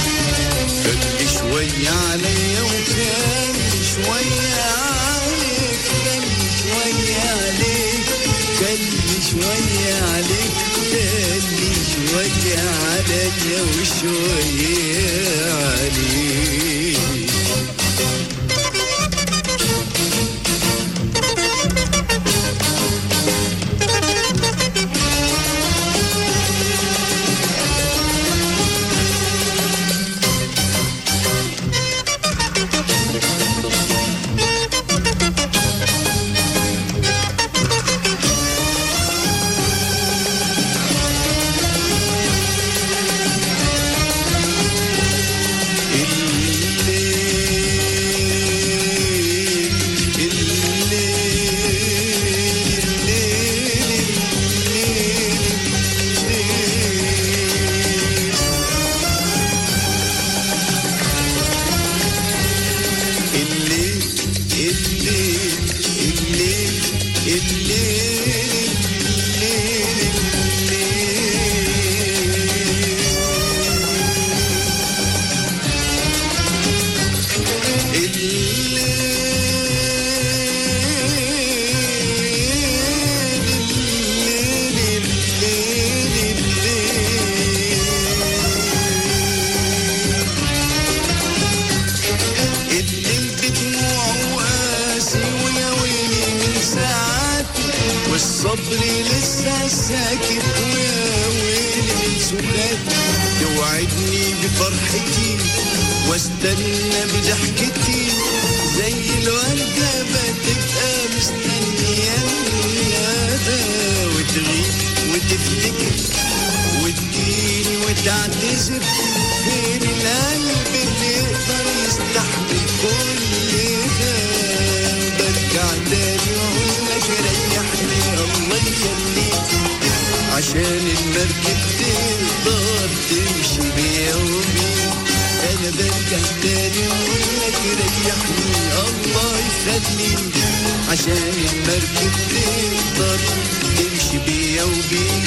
خلي شوية عليا وخلي شوية عليك، خلي شوية عليك، خلي شوية عليك، خلي شوية عليا وشوية عليك. الليل الليل الليل الليل الليل الليل الليل الليل بدموعه قاسي ويا ويلي من ساعاتي، والصبر لسه ساكت ويا ويلي من سكاتي. توعدني بفرحتي واستنى بضحكتي، زي الوردة بتبقى مستنية الندى، وتغيب وتفتكر وتجيني وتعتذر. فين القلب اللي يقدر يستحمل كل ده؟ برجع تاني واقول لك ريحني الله يخليك، عشان المركب تقدر تمشي بيا وبيك. انا برجع تاني واقول لك ريحني الله يخليك، عشان المركب تقدر تمشي بيا وبيك.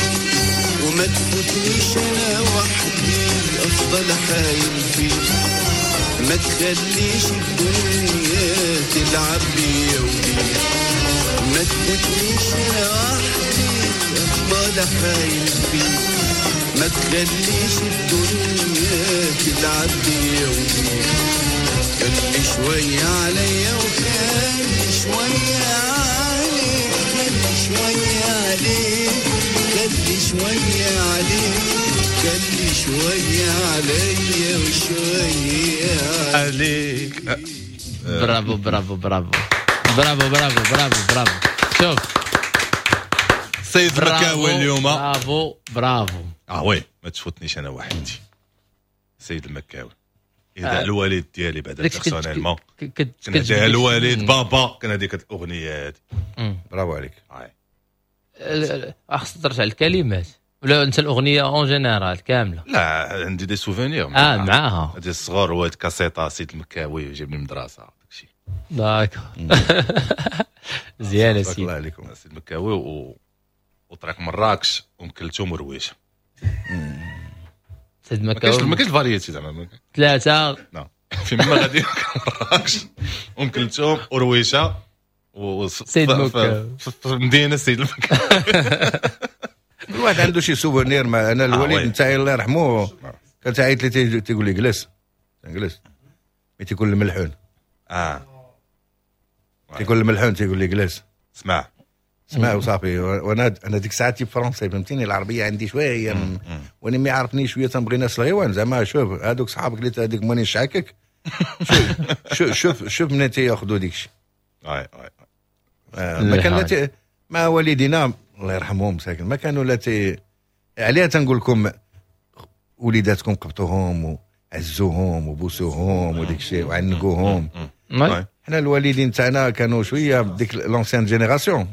وما تفوتنيش انا وحدي افضل حايل فيك، ما تخليش الدنيا تلعب بيا وبيك. ما تفوتنيش انا وحدي افضل حايل فيك، ما تخليش الدنيا تلعب بيا وبيك. خلي شوية عليا وخلي شوية عليك، خلي شوية عليك، خلي شوية عليك، خلي شوية عليا وشوية عليك. برافو برافو برافو برافو برافو برافو برافو. شوف سيد المكاوي اليوم، برافو برافو. اه oui ما تفوتنيش انا وحدي. سيد المكاوي اذا الوالد ديالي بعدا personnellement كنهديها الوالد بابا، كان هذيك الاغنية هذه. برافو عليك. خصك ترجع الكلمات ولا انت الاغنية en général كاملة؟ لا عندي des souvenirs اه معاها هذه الصغار، هو كاسيطه سيد المكاوي جابني من المدرسة داكشي. d'accord مزيان سيدي، الله عليكم. سيد المكاوي و... وطريق مراكش ام كلثوم ورويشه. سيد المكاوي ما كاينش variété زعما ثلاثة لا فين ما غادي مراكش ام كلثوم ورويشه و سيد المكاوي في المدينة سيد المكاوي. الواحد عنده شي souvenir. مع انا الوالد نتاعي الله يرحمه كان تعيط لي تيقول لي جلس جلس، mais تيكون الملحون. اه تيكون الملحون تيقول لي جلس اسمع اسمع وصافي. وانا انا ديك الساعة تي français فهمتيني، العربية عندي شوية، وانا ما يعرفني شوية تنبغي ناس الغيوان زعما. شوف هذوك صحابك اللي هذيك ماني شعكك، شوف شوف شوف منين تياخذوا ديك الشيء. اي اي ما كان لا مع والدينا الله يرحمهم مساكن ما كانوا لا تي عليها. تنقول لكم وليداتكم قبطوهم وعزوهم وبوسوهم وديك الشيء وعنقوهم. حنا الوالدين تاعنا كانوا شوية بديك l'ancienne génération.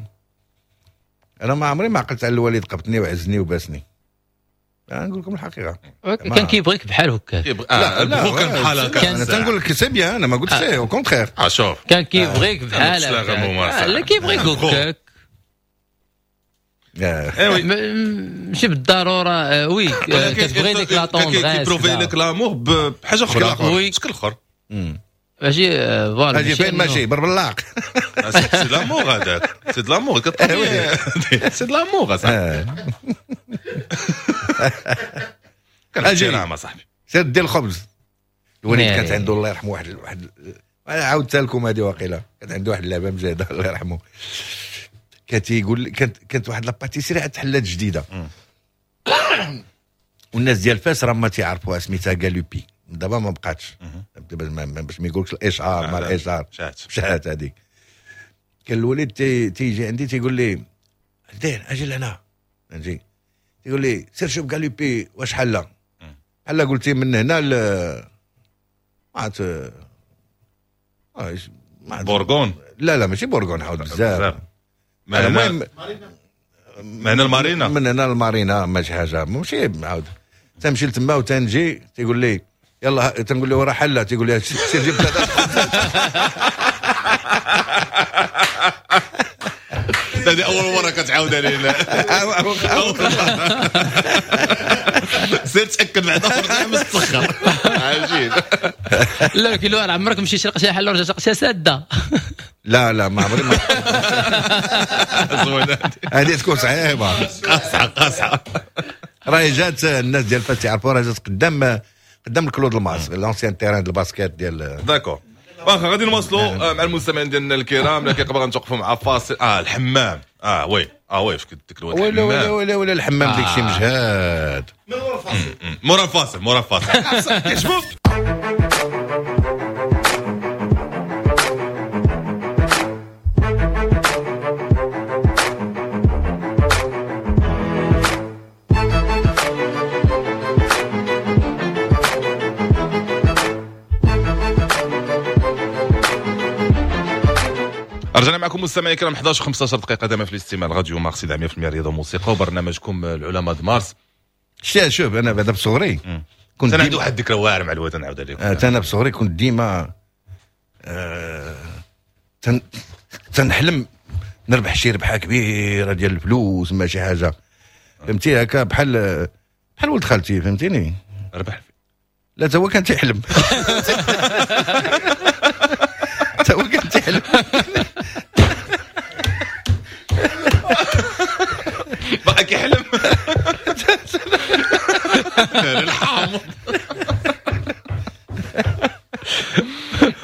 انا ما عمري ما عقلت على الوالد قبطني وعزني وباسني. انا نقول لكم الحقيقة كان كيبغيك بحال هكا. لا لا كان بحال هكا. انا تنقول لك c'est bien، انا ما قلتش au contraire. اه شوف كان كيبغيك بحال هكا. لا كيبغيك هكاك ماشي بالضرورة. oui كتبغي ديك la tendresse، كي prouver لك l'amour بحاجة اخرى، بشكل اخر ماشي voilà. ماشي فين ماشي بربلاق. c'est l'amour هذاك، c'est l'amour c'est l'amour اصاحبي. اجي نعم اصاحبي سير دير الخبز. الوليد كانت عنده الله يرحمه واحد واحد انا عاودتها لكم هذه واقيلا، كانت عنده واحد اللعبة مجهده الله يرحمه. كان تيقول كانت كانت واحد la pâtisserie عاد تحلات جديدة والناس ديال فاس راه ما تيعرفوها، سميتها غالوبي. دابا ما بقاتش باش ما يقولكش الاشعار ما الاشعار مشات هذيك. كان الوليد تيجي عندي تيقول لي دير اجي لهنا، نجي تيقول لي سير شوف غالوبي واش حله حله. قلتي من هنا ل ما عرفت بورغون. لا لا ماشي بورغون، عاود بزاف. المهم من هنا المارينا، من هنا المارينا ماشي حاجة ماشي عاود. تمشي لتما وتنجي تيقول لي يلا، تنقول له راه حله، تيقول لي سير جيب ثلاثة. هذه اول مرة كتعاود علينا. سير تاكد بعدا ورجع مستخر. عجيب. لا كيلو عمرك مشيتي لقيتي حل ورجعت لقيتها ساده؟ لا لا ما عمري ما. هذه تكون صعيبة قاصحة قاصحة. راهي جات الناس ديال فاس يعرفوا، راه جات قدام قدام الكلود الماس l'ancien terrain ديال ال basket ديال. d'accord واخا غادي نواصلوا مع المستمعين ديالنا الكرام، لكن قبل غنتوقفوا مع فاصل. اه الحمام اه oui اه oui فاش كنت الواد ولا ولا ولا ولا الحمام ديك شي مجهاد. من مورا الفاصل مورا الفاصل مورا الفاصل كيشوف. رجعنا معكم مستمعي الكرام إحدى عشر وخمسة عشر دقيقة دائما في الاستماع راديو مارس مية بالمية رياضة وموسيقى وبرنامجكم العلماء د مارس. شتي شوف انا بعدا بصغري كنت انا عندي واحد الذكرى واعرة مع الواد نعاودها لكم. انا بصغري كنت ديما آه تن تنحلم نربح شي ربحه كبيرة ديال الفلوس ما شي حاجة فهمتي، هكا بحال بحال ولد خالتي فهمتيني. ربح؟ لا تا هو كان تيحلم. تا هو كان تيحلم. بقى كيحلم. الحامض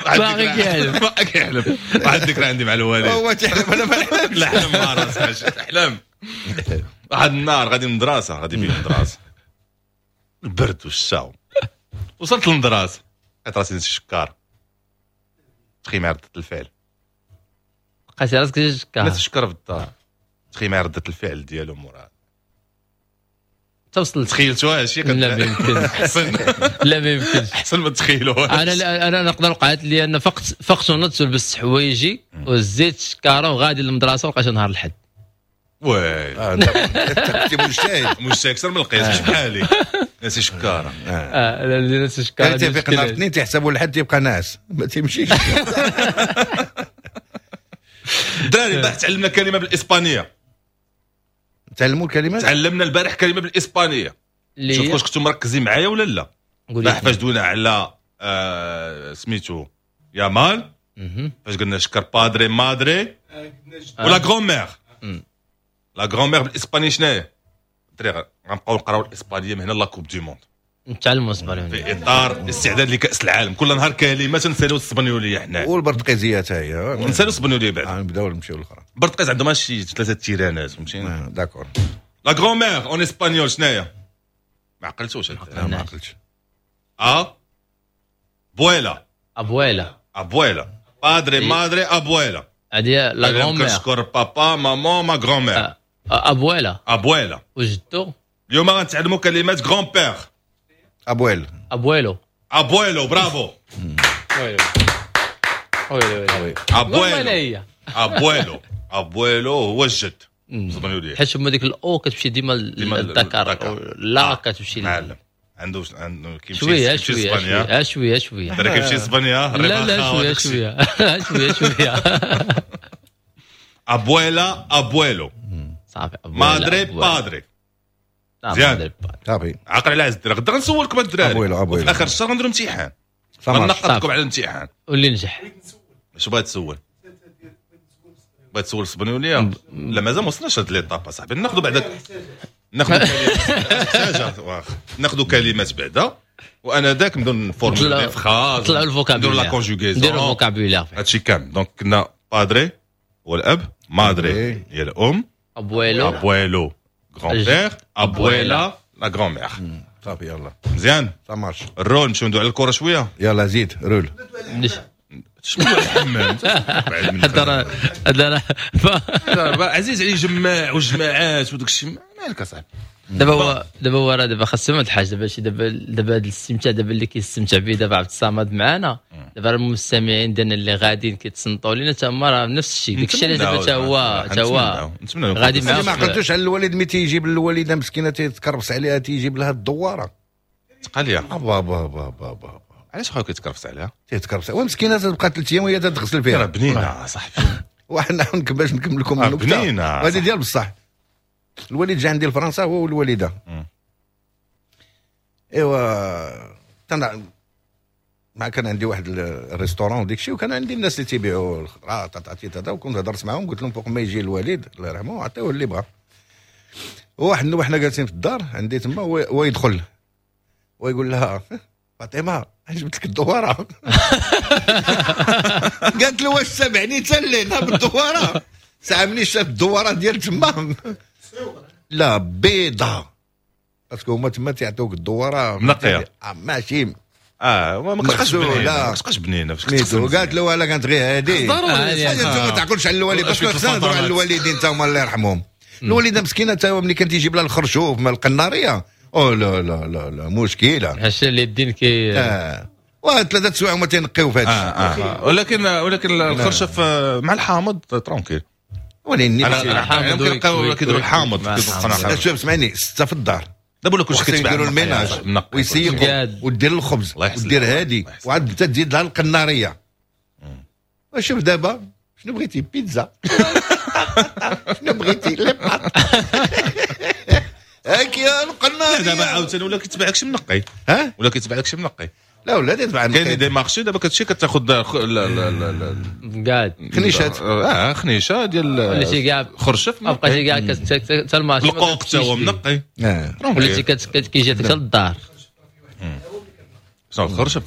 باقي كيحلم باقي كيحلم. واحد الذكرى عندي مع الوالد، هو تيحلم انا ما نحلمش. لا حلم مع راسك حلم. واحد النهار غادي للمدرسة، غادي بين المدرسة البرد والشاو، وصلت للمدرسة لقيت راسي نسي شكار. تخي مع ردة الفعل لقيتي راسك نسي شكار، نسي شكار في الدار. تخي مع ردة الفعل ديالو مورا توصل. تخيلتوها شي؟ لا ما يمكنش. احسن لا ما يمكنش احسن ما تخيلوها. انا انا نقدر وقعت لي انا فقت فقت ونضت ولبست حوايجي وزيت شكاره وغادي للمدرسة ولقيت نهار الحد. oui انت كنتي مجتهد مجتهد اكثر من القياس مش بحالي. ناسي شكاره. اه لا ناسي شكاره. تيفيق نهار الاثنين تيحسبوا الحد تيبقى ناعس ما تيمشيش. الدراري البارح تعلمنا كلمة بالاسبانيه. تعلموا الكلمات؟ تعلمنا البارح كلمة بالاسبانيه. شوف واش كنتم مركزين معايا ولا لا. البارح فاش دوينا على آه سميتو يامال، فاش قلنا شكر padre madre ولا grand-mère. la grand-mère بالاسبانيه شناهي؟ الدراري غنبقاو نقراو الاسبانية من هنا la Coupe du monde. نتعلموا الاسبانية في اطار الاستعداد لكاس العالم. كل نهار كلمة تنسالوا الاسبانيوليه حنا والبرتقيزيه حتى هي نسالوا الاسبانيوليه بعد نبداو نمشيو للاخرى. البرتقيز عندهم شي ثلاثة تيرانات فهمتيني. d'accord. la grand-mère en espagnol شناهي؟ ما عقلتوش. ما عقلتش. a buela abuela abuela padre madre abuela. هذه la grand-mère. كنشكر papa maman ma grand-mère abuela abuela. وجدو اليوم غنتعلموا كلمات grand-père. abuel abuelo abuelo bravo. ويلي ويلي ويلي abuelo abuelo abuelo هو الجد. حيت هما ديك ال o كتمشي ديما للذكر، لا كتمشي معلم عنده عنده كيمشي شوية شوية شوية شوية درا كيمشي اسبانيا. لا لا شوية شوية شوية شوية. abuela abuelo صافي. madre padre مزيان صافي. عقل على عز الدراري. غدا غنسولكم الدراري abuelo في اخر الشهر غنديروا امتحان، غنقطكم على الامتحان واللي نجح. اش بغيت تسول؟ بغيت تسول الاسبانيوليه؟ لا مازال ما وصلناش لهاد l'étape صاحبي. ناخذوا بعدا ناخذوا كلمات ناخذوا كلمات بعدا وانا ذاك نبداو نفورمي des phrases، نطلعوا ال vocabulaire، نديروا la conjugaison، نديروا ال vocabulaire هادشي كامل. donc كنا padre هو الاب، madre هي الام، abuelo abuelo grand-père، abuela la grand-mère. صافي يلا مزيان ça marche. الرول نمشيو ندوي على الكره شوية. يلا زيد رول. شنو الحمام هذا هذا عزيز علي جماع والجماعات وداك الشيء مالك اصاحبي. دابا هو دابا هو راه دابا خاصو واحد الحاجة دابا شي دابا دابا هذا الاستمتاع دابا اللي كيستمتع به دابا عبد الصمد معنا دابا المستمعين ديالنا اللي غاديين كيتصنتوا لينا تا هما راه نفس الشيء داك الشيء علاش دابا تا هو تا هو غادي معاه. ما عقلتوش على الوالد ملي تيجيب الوالدة مسكينه تيتكربس عليها تيجيب لها الدواره تقاليه. با با با با با علاش خويا كيتكرفس عليها؟ تيتكرفس ومسكينه تبقى ثلاث ايام وهي تتغسل فيها. راه بنينه صاحبي. وحنا باش نكمل لكم النكتة بنينه هذه ديال بصح. الوالد جا عندي لفرنسا هو والوالدة. ايوا تنا ما كان عندي واحد ال restaurant وديك الشيء، وكان عندي الناس اللي تيبيعوا الخضرة تاتي تاتا، وكنت هضرت معاهم قلت لهم فوق ما يجي الوالد الله يرحمه عطيوه اللي بغا. وواحد النوبة حنا جالسين في الدار عندي تما ويدخل ويقول لها فاطمة جبت لك الدواره. قالت له واش سامعني حتى لهنا بالدواره؟ ساعة ملي شاف الدواره ديال تما لا بيضة، parce que هما تما تيعطوك الدواره منقيه ماشي اه ما كتبقاش بنينه، ما كتبقاش بنينه. قالت له ولا كانت غير هادي ضروري انت ما تعقلش على الوالد، parce que خصنا نهضروا على الوالدين تا هما الله يرحمهم. الوالدة مسكينه تا هو ملي كان تيجيب لها الخرشوف من القناريه، او لا لا لا لا مشكلة هادشي اللي الدين كي اه وثلاثة سوايع هما تينقيو في هادشي. آه آه. ولكن ولكن الخرشف مع الحامض tranquille. ولكن الحامض كيديروا الحامض. شوف اسمعني، ستة في الدار دابا ولا كلشي كيتباع، يديروا ال ménage ويسيقوا ودير الخبز ودير هادي وعاد انت تزيد لها القناريه. وشوف دابا شنو بغيتي؟ بيتزا. شنو بغيتي؟ les pâtes. هاك يا القناريه. دابا عاوتاني ولا كيتباع لك شي منقي، ها ولا كيتباع لك شي منقي. لا ولا تتباع كاين des marchés دابا كتمشي كتاخذ قاعد خنيشات اه خنيشه ديال وليتي كاع خرشف ما بقيتي كاع حتى ال marché القوق حتى هو منقي، وليتي كيجي حتى للدار. شنو الخرشف؟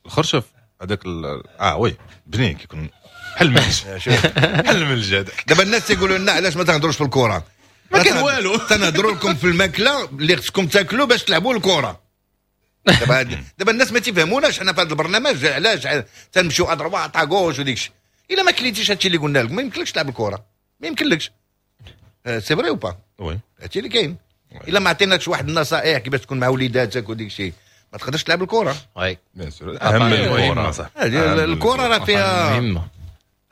الخرشف هذاك اه oui بنين كيكون بحال الملج، بحال الملج هذاك. دابا الناس تيقولوا لنا علاش ما تهضروش في الكره؟ ما كاين والو، تنهضروا لكم في الماكلة اللي خصكم تاكلوا باش تلعبوا الكره. دابا دابا الناس ما تيفهموناش حنا في هذا البرنامج علاش تنمشيو à droite à gauche وديك الشيء. الا ما كليتيش هادشي اللي قلنا لك ما يمكنلكش تلعب الكره، ما يمكنلكش. c'est vrai ou pas؟ oui هادشي اللي كاين. الا ما عطيناكش واحد النصائح كيفاش تكون مع وليداتك وديك الشيء ما تقدرش تلعب الكره. oui bien sûr اهم الكره صح. الكره راه فيها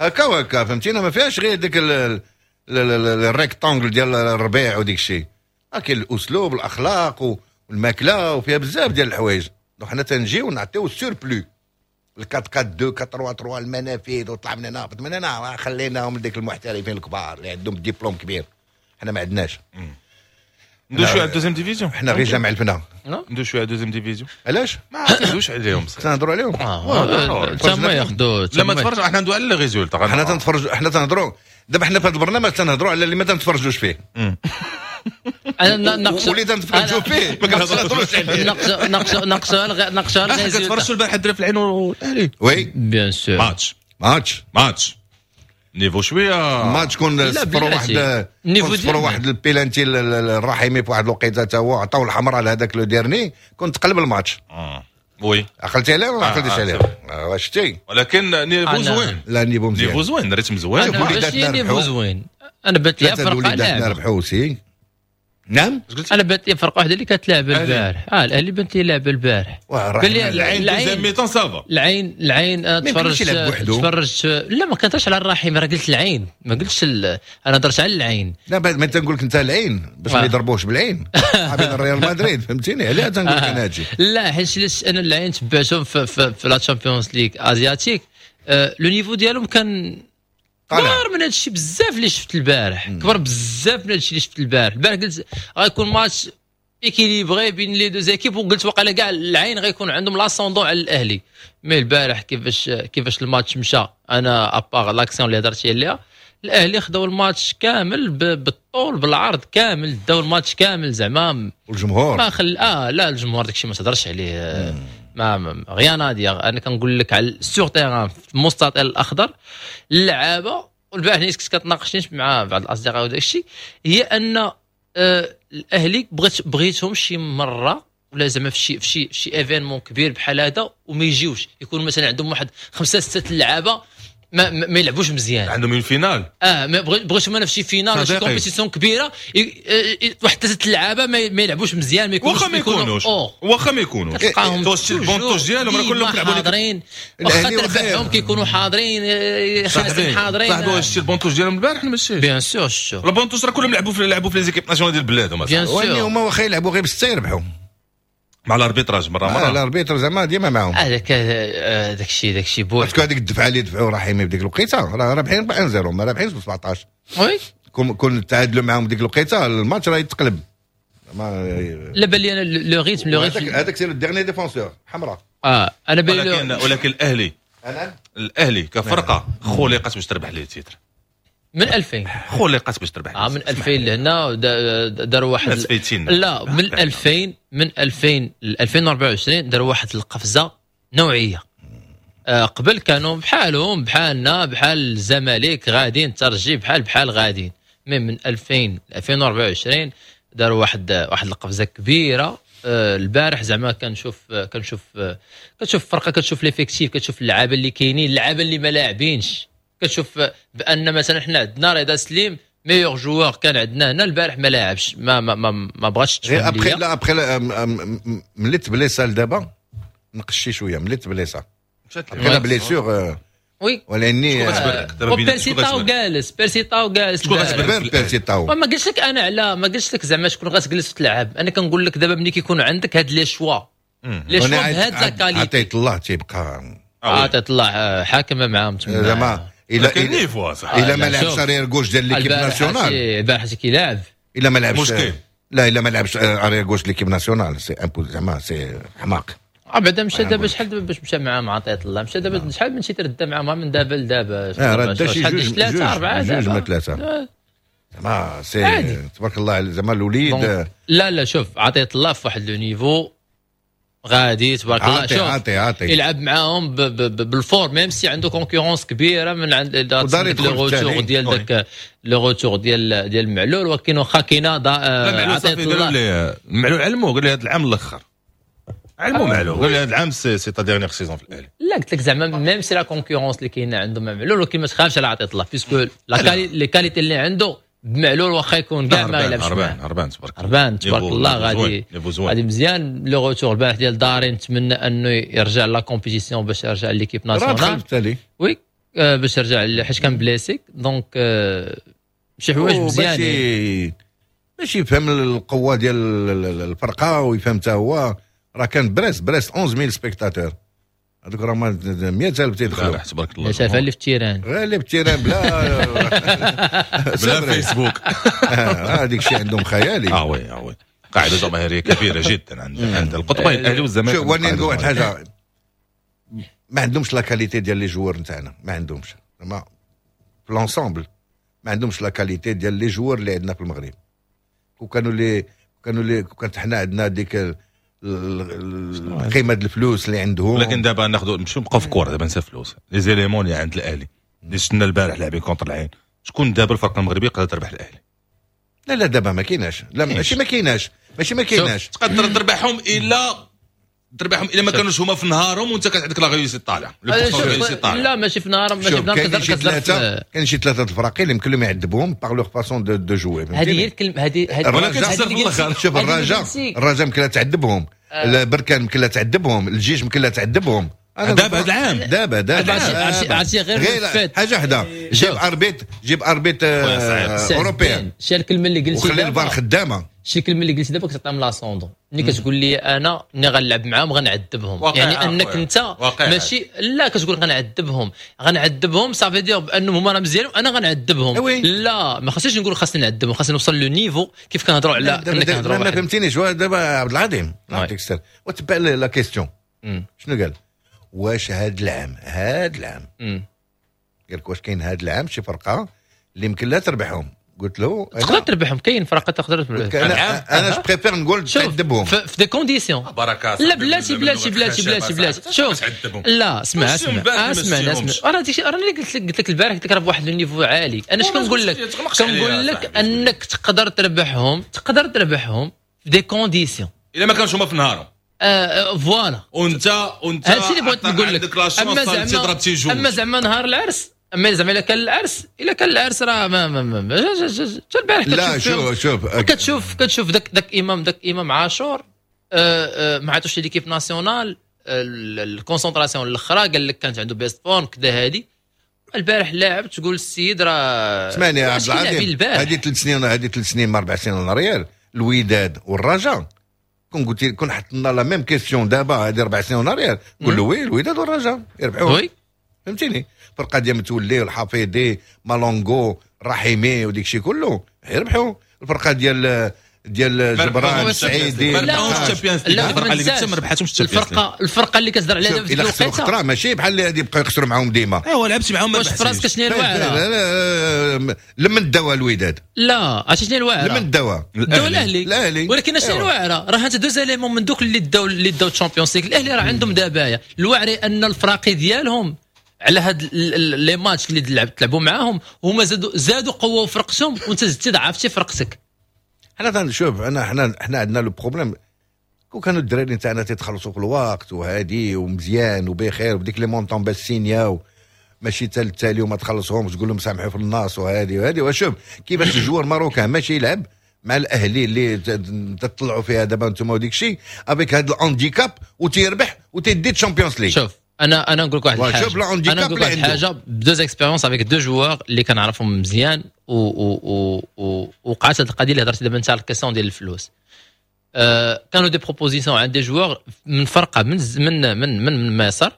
هكا وهكا فهمتينا، ما فيهاش غير ديك ال rectangle ديال الربيع وديك الشيء. كاين الاسلوب الاخلاق والماكله وفيها بزاف ديال الحوايج. donc حنا تنجيو نعطيو ال surplus أربعة أربعة اثنين أربعة ثلاثة ثلاثة المنافذ وطلع من هنا هبط من هنا، خليناهم لديك المحترفين الكبار اللي عندهم ديبلوم كبير. حنا ما عندناش. ندوز شوية على ال deuxième division. حنا غير جامع الفنا. ندوز شوية على ال deuxième division. علاش؟ ما تندوش عليهم تنهضروا عليهم. تما ياخذوا لا ما تفرج، حنا ندوي على les résultats. حنا تنتفرج، حنا تنهضروا دابا حنا في هذا البرنامج تنهضروا على اللي ما تنتفرجوش فيه. انا ناقش واللي تنتفرجوا فيه ما كنهضروش عليه. ناقش ناقش ناقش ناقش كتفرجوا البارح الدراري في العين والاهلي. oui bien sûr match match match niveau شوية ماتش كون صفر واحد صفر واحد البيلانتي الرحيمي في واحد الوقيته تا هو عطاو الحمراء لهذاك le dernier، كنت تقلب الماتش. اه oui عقلتي عليه ولا ما عقلتيش عليه؟ شتي ولكن niveau زوين. لا niveau مزيان، niveau زوين، rythme زوين، niveau زوين. انا بانت لي فرقه لاعب ربحوا aussi. نعم انا بانت لي فرقه واحدة اللي كتلعب البارح. اه الاهلي بانت لي لعب البارح. قال لي العين mi-temps ça va. العين العين انا تفرجت تفرجت لا ما كنتش على الرحيم، راه قلت العين ما قلتش ال... انا درت على العين. لا ما تنقول لك انت العين باش ما يضربوش بالعين عبين الريال مدريد فهمتيني عليها تنقول لك انا هادشي. لا حيت انا العين تبعتهم في, في, في la Champions League asiatique، le niveau ديالهم كان كبر من هادشي بزاف اللي شفت البارح، كبر بزاف من هادشي اللي شفت البارح. البارح قلت غيكون match équilibré بين les deux équipes، وقلت وقيلا كاع العين غيكون عندهم l'ascendant على الاهلي. mais البارح كيفاش كيفاش الماتش مشى، انا à part l'action اللي هضرتي عليها، الاهلي خداو الماتش كامل بالطول بالعرض كامل، داو الماتش كامل زعما. والجمهور ما خل اه لا الجمهور داكشي ما تهضرش عليه، ما rien à dire. انا كنقول لك على sur terrain في المستطيل الاخضر اللعابه. والبارح اللي كنت كتناقشني مع بعض الاصدقاء وداك الشيء، هي ان آه الاهلي بغيت بغيتهم شي مرة ولا زعما في شي في شي في شي événement كبير بحال هذا وما يجيوش، يكون مثلا عندهم واحد خمسة ستة اللعابه ما, ما يلعبوش مزيان، عندهم une finale. اه ما بغيتهم انا في شي finale ولا شي compétition كبيرة واحد ثلاثة اللعابه ما يلعبوش مزيان، ما يكونوش واخا ما يكونوش واخا ما يكونوش توش ال banc de touche ديالهم راه كلهم كيلعبوا حاضرين، واخا تربحهم كيكونوا حاضرين خمسة حاضرين. صاحبي واش شتي ال banc de touche ديالهم البارح ما شتيش؟ bien sûr شتو ال banc de touche راه كلهم لعبوا في لعبوا في les équipes nationales ديال بلادهم. واني هما واخا يلعبوا غير بسته يربحوا. مع ال arbitrage مرة مرة. ال arbitre زعما ديما معاهم. هذاك داك الشيء داك الشيء بوحدو. parce que هذيك الدفعة اللي دفعوا رحيمي بديك الوقيته راه رابحين واحد صفر، ما رابحينش ب سبعطاش. oui كون كون تعادلوا معاهم ديك الوقيته الماتش راه يتقلب. لا بان لي انا le rythme le rythme هذاك c'est le dernier défenseur حمراء. اه انا بان ولكن ولكن الاهلي الاهلي كفرقه خلقت باش تربح les titres من ألفين، خلقت باش تربح. اه من ألفين لهنا داروا واحد، لا من ألفين من ألفين ل ألفين وأربعة وعشرين داروا واحد القفزة نوعية. آه قبل كانوا بحالهم بحالنا بحال الزمالك غاديين ترجي بحال بحال غاديين، mais من ألفين ل ألفين وأربعة وعشرين داروا واحد واحد القفزة كبيرة. آه البارح زعما كنشوف كنشوف كتشوف فرقه، كتشوف l'effectif، كتشوف اللعابه اللي كاينين، اللعابه اللي ما لاعبينش، كتشوف بان مثلا حنا عندنا رضا سليم meilleur joueur كان عندنا هنا البارح ما لاعبش، ما ما ما, ما بغاتش تفهم ليا. لا après ملي تبليسا لدابا نقشي شوية، ملي تبليسا après la blessure oui ولاني بيرسي تاو جالس، بيرسي تاو جالس شكون غتبرك بيرسي تاو؟ ما قلتش لك انا على ما قلتش لك زعما شكون غتجلس وتلعب، انا كنقول لك دابا ملي كيكون عندك هاد les choix les choix بهاد la qualité. عطيت الله تيبقى عطيت الله حاكمه معاهم تما زعما الا الا ما لعبش arrière gauche ديال l'équipe nationale البارح كيلعب، الا ما لعبش مشكل. لا الا ما لعبش arrière gauche l'équipe nationale c'est un زعما c'est حماق. اه بعدا مشى دابا شحال دابا باش مشى معاهم عطية الله، مشى دابا شحال من شي ترد معاهم من دابا لدابا راه دا شي جوج ثلاثة اربعة جوج ما ثلاثة زعما c'est تبارك الله زعما الوليد. لا لا شوف عطية الله في واحد le niveau غادي تبارك الله، شوف عاطي عاطي يلعب معاهم بال forme même si عنده concurrence كبيرة من عند le retour ديال داك le retour ديال ديال معلول، ولكن واخا كاينه عطية الله معلول علمو قال لي هذا العام الاخر علمو معلول قال لي هذا العام c'est ta dernière saison في الاهلي. لا قلت لك زعما même si la concurrence اللي كاينه عندهم مع معلول، ولكن ما تخافش على عطية الله puisque la les qualités اللي عنده بمعلول واخا يكون كاع ما يلعبش هربان هربان تبارك الله هربان تبارك الله غادي غادي مزيان. le retour البارح ديال داري نتمنى انه يرجع la compétition باش يرجع l'équipe nationale. oui باش يرجع حيت كان blessé، donc شي حوايج مزيانين باش يفهم القوة ديال الفرقة ويفهم حتى هو راه كان بريست بريست أحد عشر ألف spectateurs هذوك راه مئة ألف تيدخلوا تبارك الله. شاف اللي في ال terrain غير اللي في ال terrain بلا بلا فيسبوك هذيك الشيء عندهم خيالي. اه oui اه oui قاعدة جماهيرية كبيرة جدا عند عند القطبين الاهلي والزمالك. شوف وني نقول واحد الحاجة، ما عندهمش la qualité ديال les joueurs نتاعنا، ما عندهمش زعما في l'ensemble ما عندهمش la qualité ديال les joueurs اللي عندنا في المغرب. وكانوا لي كانوا لي كانت حنا عندنا ديك القيمة ديال الفلوس اللي عندهم. ولكن دابا ناخذوا نمشيو نبقاو في الكره دابا نسى فلوس les éléments اللي عند الاهلي اللي شفنا البارح لاعبين contre العين، شكون دابا الفرقة المغربية قادرة تربح الاهلي؟ لا لا دابا ما كايناش، لا ماشي ما كايناش ماشي ما كايناش تقدر تربحهم الا تربحهم الا ما كانوش هما في نهارهم وانت كانت عندك la réussite طالعه. لا ماشي في نهارهم ماشي في نهارهم. كاين شي ثلاثة كاين شي ثلاثة الفراقي اللي يمكن لهم يعذبوهم par leur façon de de jouer. هذه هي الكلمة هذه هذه شوف الرجاء الرجاء يمكن لها تعذبهم، البركان يمكن لها تعذبهم، الجيش يمكن لها تعذبهم. دابا هذا العام دابا دابا عرفتي غير حاجة وحده، جيب arbitre جيب arbitre européen. شي الكلمة اللي قلتي وخلي الفار خدامه. شي الكلمة اللي قلتي دابا كتعطيهم l'ascendant ملي كتقول لي انا ملي غنلعب معاهم غنعذبهم، يعني انك انت ماشي لا كتقول غنعذبهم غنعذبهم ça veut dire بانهم هما راه مزيانين وانا غنعذبهم. لا ما خاصنيش نقول خاصني نعذبهم، خاصني نوصل le niveau كيف كنهضروا على كنا كنهضروا. ما فهمتينيش دابا عبد العظيم نعطيك السر وتبع la question شنو قال؟ واش هاد العام هاد العام قال لك واش كاين هاد العام شي فرقه اللي يمكن لا تربحهم؟ قلت له تقدر تربحهم، كاين فرقه تقدر تربحهم. انا انا je préfère نقول تعذبهم في des conditions. لا بلاتي بلاتي بلاتي بلاتي بلاتي شوف لا اسمع اسمع اسمع اسمع انا ديك انا اللي قلت لك قلت لك البارح قلت لك راه بواحد ال niveau عالي. انا اش كنقول لك؟ كنقول لك انك تقدر تربحهم تقدر تربحهم في des conditions الا ما كانش هما في نهارهم. آه voilà وانت وانت هادشي اللي بغيت نقول لك. اما زعما اما زعما نهار العرس، اما زعما الا كان العرس الا كان العرس راه ما ما ما حتى البارح لا شوف شوف كتشوف كتشوف داك داك امام داك امام عاشور آه آه ما عطوش l'équipe nationale ال concentration الاخرى، قال لك كانت عنده best forme كذا. هادي البارح لاعب تقول السيد راه اسمعني يا عبد العظيم، هذه ثلاث سنين هذه ثلاث سنين ما اربع سنين en arrière الوداد والرجاء كون قلت كون حطنا la même question دابا هذه اربع سنين en arrière نقول له oui الوداد والرجاء يربحوا. oui فهمتيني؟ الفرقة ديال متولي الحفيظي مالونغو رحيمي وديك الشيء كله يربحوا. الفرقة ديال ديال جبران السعيدي ما ربحوش ال Champions League. الفرقة اللي قلت ما ربحاتهمش ال Champions League. الفرقة الفرقة اللي كتهضر عليها دابا في الوقيته خطره ماشي بحال اللي غادي يبقاو يخسروا معاهم ديما. ايوا لعبتي معاهم ما ربحتيش. واش في راسك شنو هي الواعره؟ لمن داوها الوداد؟ لا عرفتي شنو هي الواعره؟ لمن داوها؟ داو الاهلي. الاهلي. ولكن شنو الواعره؟ راه انت deux éléments من دوك اللي داو اللي داو ال Champions League الاهلي راه عندهم دابايا الواعري ان الفراقي ديالهم على هاد les matchs اللي لعبوا معاهم هما زادوا زادوا قوة فرقتهم وانت زدتي ضعفتي فرقتك. حنا تنشوف انا حنا حنا عندنا le problème كون كانوا الدراري نتاعنا تيتخلصوا في الوقت وهادي ومزيان وبخير وديك les montants باش سينياو ماشي حتى التالي وما تخلصهمش تقول لهم سامحوا في الناس وهادي وهادي. وشوف كيفاش ال joueur marocain ماشي يلعب مع الاهلي اللي تطلعوا فيها دابا انتم وديك الشيء avec هاد ال handicap وتيربح وتيدي Champions League. شوف انا انا نقول لك واحد الحاجة، انا نقول لك واحد الحاجة deux expériences avec deux joueurs اللي كنعرفهم مزيان و و وقعت هذه القضية اللي هضرتي دابا انت على ال question ديال الفلوس. أه كانوا des propositions عند des joueurs من فرقه من من من من مصر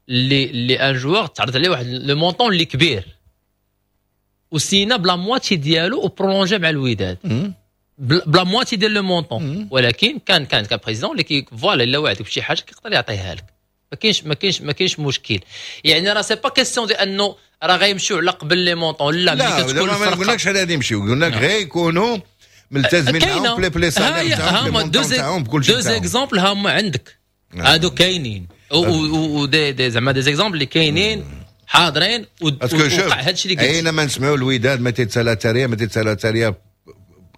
اللي اللي un joueur تعرض عليه واحد le montant اللي كبير وسينا ب la moitié ديالو و prolongé مع الوداد ب la moitié ديال le montant، ولكن كان كان كان président اللي كي voilà الا وعدك بشي حاجة كيقدر يعطيها لك، ما كاينش ما كاينش ما كاينش مشكل. يعني راه c'est pas question ديال انه راه غيمشيو على قبل les montants، لا ملي كتكون الفرقة ما قلناكش على غادي يمشيو، قلنا لك غير يكونوا ملتزمين معاهم في les salaires تاعهم تاعهم بكل شيء. deux exemples هما عندك هادو كاينين و des des زعما des exemples اللي كاينين حاضرين وقع هادشي اللي قلت. اين ما نسمعوا الوداد ما تيتسالى تاريه ما تيتسالى تاريه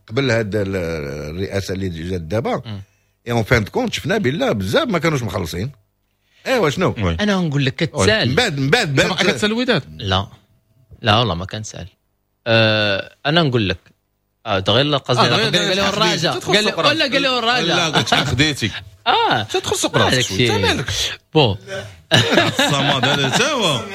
قبل هاد الرئاسة اللي جات دابا et en fin de compte شفنا بالله بزاف ما كانوش مخلصين. ايوا شنو انا نقول لك كتسال من بعد من بعد بعد كتسال الوداد؟ لا لا والله ما كنسال. أه انا نقول لك اه دغيا قصدي قال له الرجاء، قال له ولا قال له الرجاء، لا قلت خديتي اه تدخل سوق راسك انت مالك bon الصمد هذا تا هو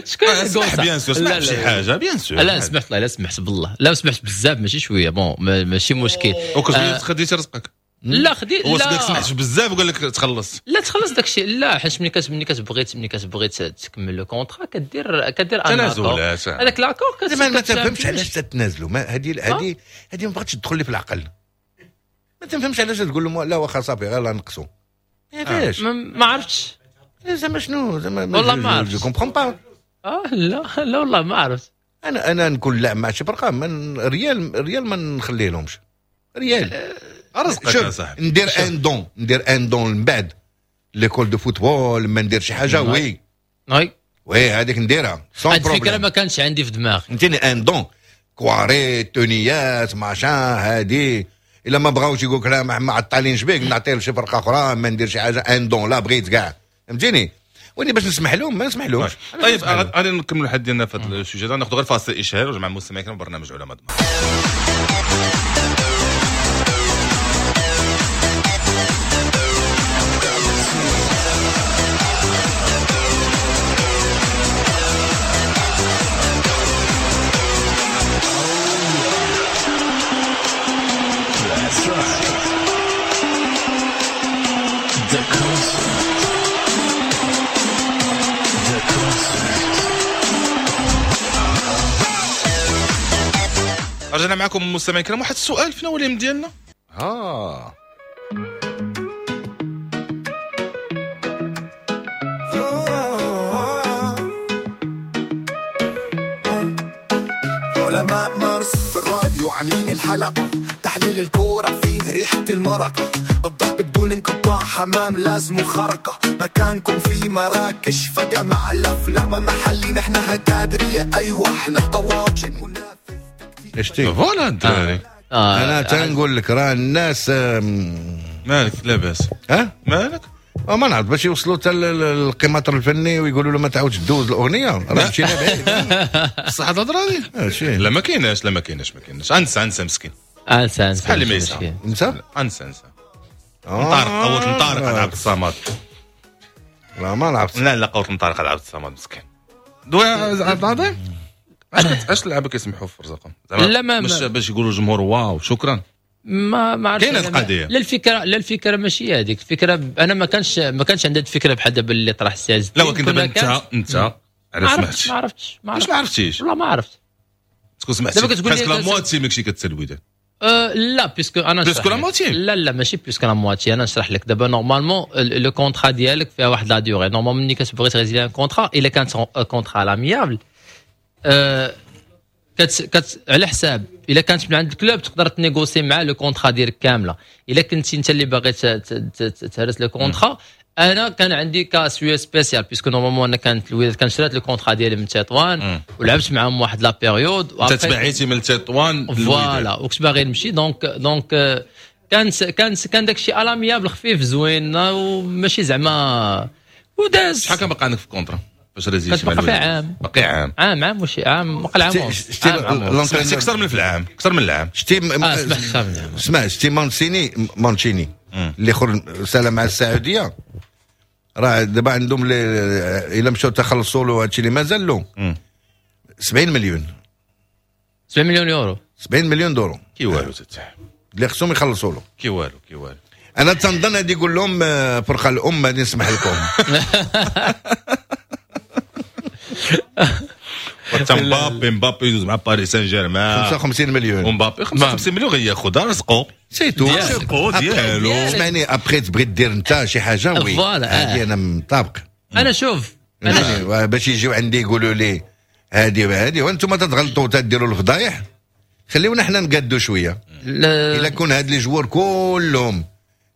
شكون سمح bien sûr سمح شي حاجة bien sûr. لا سمحت لا سمحت بالله لا سمحت بزاف ماشي شوية bon ماشي مشكل. وكتقول خديتي رزقك؟ لا خدي لا سمحت بزاف وقال لك تخلص. لا تخلص داك الشيء لا، حيت ملي ملي كتبغي ملي كتبغي تكمل le contrat كدير كدير تنازلات هذاك l'accord. ما تفهمش علاش تتنازلوا، ما هذه هذه هذه ما بغاتش تدخل لي في العقل. ما تفهمش علاش تقول لهم لا واخا صافي غير نقصوا. علاش؟ ما عرفتش زعما شنو زعما والله ما عرفت je comprends pas. اه لا لا والله ما عرفت. انا انا نكون لاعب مع شي فرقه من ريال ريال ما نخليه لهمش ريال رزقك يا صاحبي. ندير un don ندير un don من بعد l'école de football ما ندير شي حاجة oui oui oui هذيك نديرها sans problème. الفكرة ما كانش عندي في دماغي فهمتيني un don كواري تونيات machin هادي الا ما بغاوش يقول لك لا ما عطالينش بيك نعطيه لشي فرقه اخرى ما ندير شي حاجة un don لا بغيت كاع فهمتيني. وني باش نسمح لهم ما نسمح لهمش. طيب غادي نكملوا الحد ديالنا في هذا ال sujet، ناخذ غير فاصل اشهار ونرجع مع المستمعين في برنامج علماء دماغ. رجعنا معكم مستمعين الكرام. واحد السؤال فينا هو اليوم ديالنا اه علماء مارس في الراديو عاملين الحلقة تحليل الكورة فيه ريحة المرقة الضرب بدون انقطاع حمام لازم خرقة مكانكم في مراكش فجأة مع الأفلام محلي نحن هتادرية أيوة احنا طواجن منافس اشتي voilà الدراري. آه. انا تنقول لك راه الناس مالك لاباس ها مالك ما نعرف باش يوصلوا حتى للقيماتر الفني ويقولوا له ما تعاودش دوز الاغنية راه مشينا بعيد. بصح هاد الهضرة هادي لا ما كايناش لا ما كايناش ما كايناش انسى انسى مسكين انسى انسى بحال اللي ما يسعى انسى انسى انسى طارق قوت طارق عبد الصمد. لا ما لعبت لا لا قوت طارق عبد الصمد مسكين دوي عبد العظيم. علاش علاش اللعابه كيسمحوا في رزقهم زعما مش باش يقولوا الجمهور واو شكرا؟ ما ما عرفتش كاينه القضية. لا الفكرة، لا الفكرة ماشي هذيك الفكرة. انا ما كانش ما كانش عندي الفكرة بحال دابا اللي طرح السي. لا ولكن دابا انت انت علاش سمعتي؟ ما عرفتش ما عرفتش ما عرفتيش والله ما عرفت. تكون سمعتي دابا كتقول لي la moitié ماكشي كتسال الوداد. أه لا puisque انا plus que la moitié. لا لا ماشي plus que la moitié. انا نشرح لك دابا normalement le contrat ديالك فيها واحد la durée. normalement ملي كتبغي ت résilier un contrat، الا كانت contrat à l'amiable أه كت كت على حساب الا كانت من عند ال club تقدر ت négocier مع le contrat ديالك كاملة. الا كنتي انت اللي باغي تهرس le contrat، انا كان عندي cas شوية spécial puisque normalement انا كانت الوداد كان شرات le contrat ديالي من تطوان ولعبت معاهم واحد la période. انت تبعيتي من تطوان voilà وكنت باغي نمشي. donc donc كان كان كان داكشي à l'amiable خفيف زوين وماشي زعما وداز. شحال كان باقي عندك في ال contrat فاش résilié تي؟ باقي عام، باقي عام عام عام وشي عام وقع عام. سمعتي اكثر من في العام، اكثر من العام. شتي اسمع شتي مانسيني مانشيني اللي خرج سلام مع السعودية، راه دابا عندهم الا مشاو تخلصوا له هادشي اللي مازال له سبعين مليون، سبعين مليون يورو، سبعين مليون دورو. كي والو تتاع اللي خصهم يخلصوا له. كي والو كي والو. انا تنظن غادي يقول لهم فرقه الام غادي نسمح لكم. حتى مبابي مبابي يدوز مع باريس سان جيرمان خمسة وخمسين مليون، ومبابي خمسة وخمسين مليون غياخذها رزقو c'est tout رزقو ديالو. اسمعني après تبغي دير انت شي حاجة oui هادي انا مطابق. انا شوف انا باش يجيو عندي يقولوا لي هادي وهادي وانتم تتغلطوا تديروا الفضايح، خليونا حنا نقادوا شوية. الا كون هاد les joueurs كلهم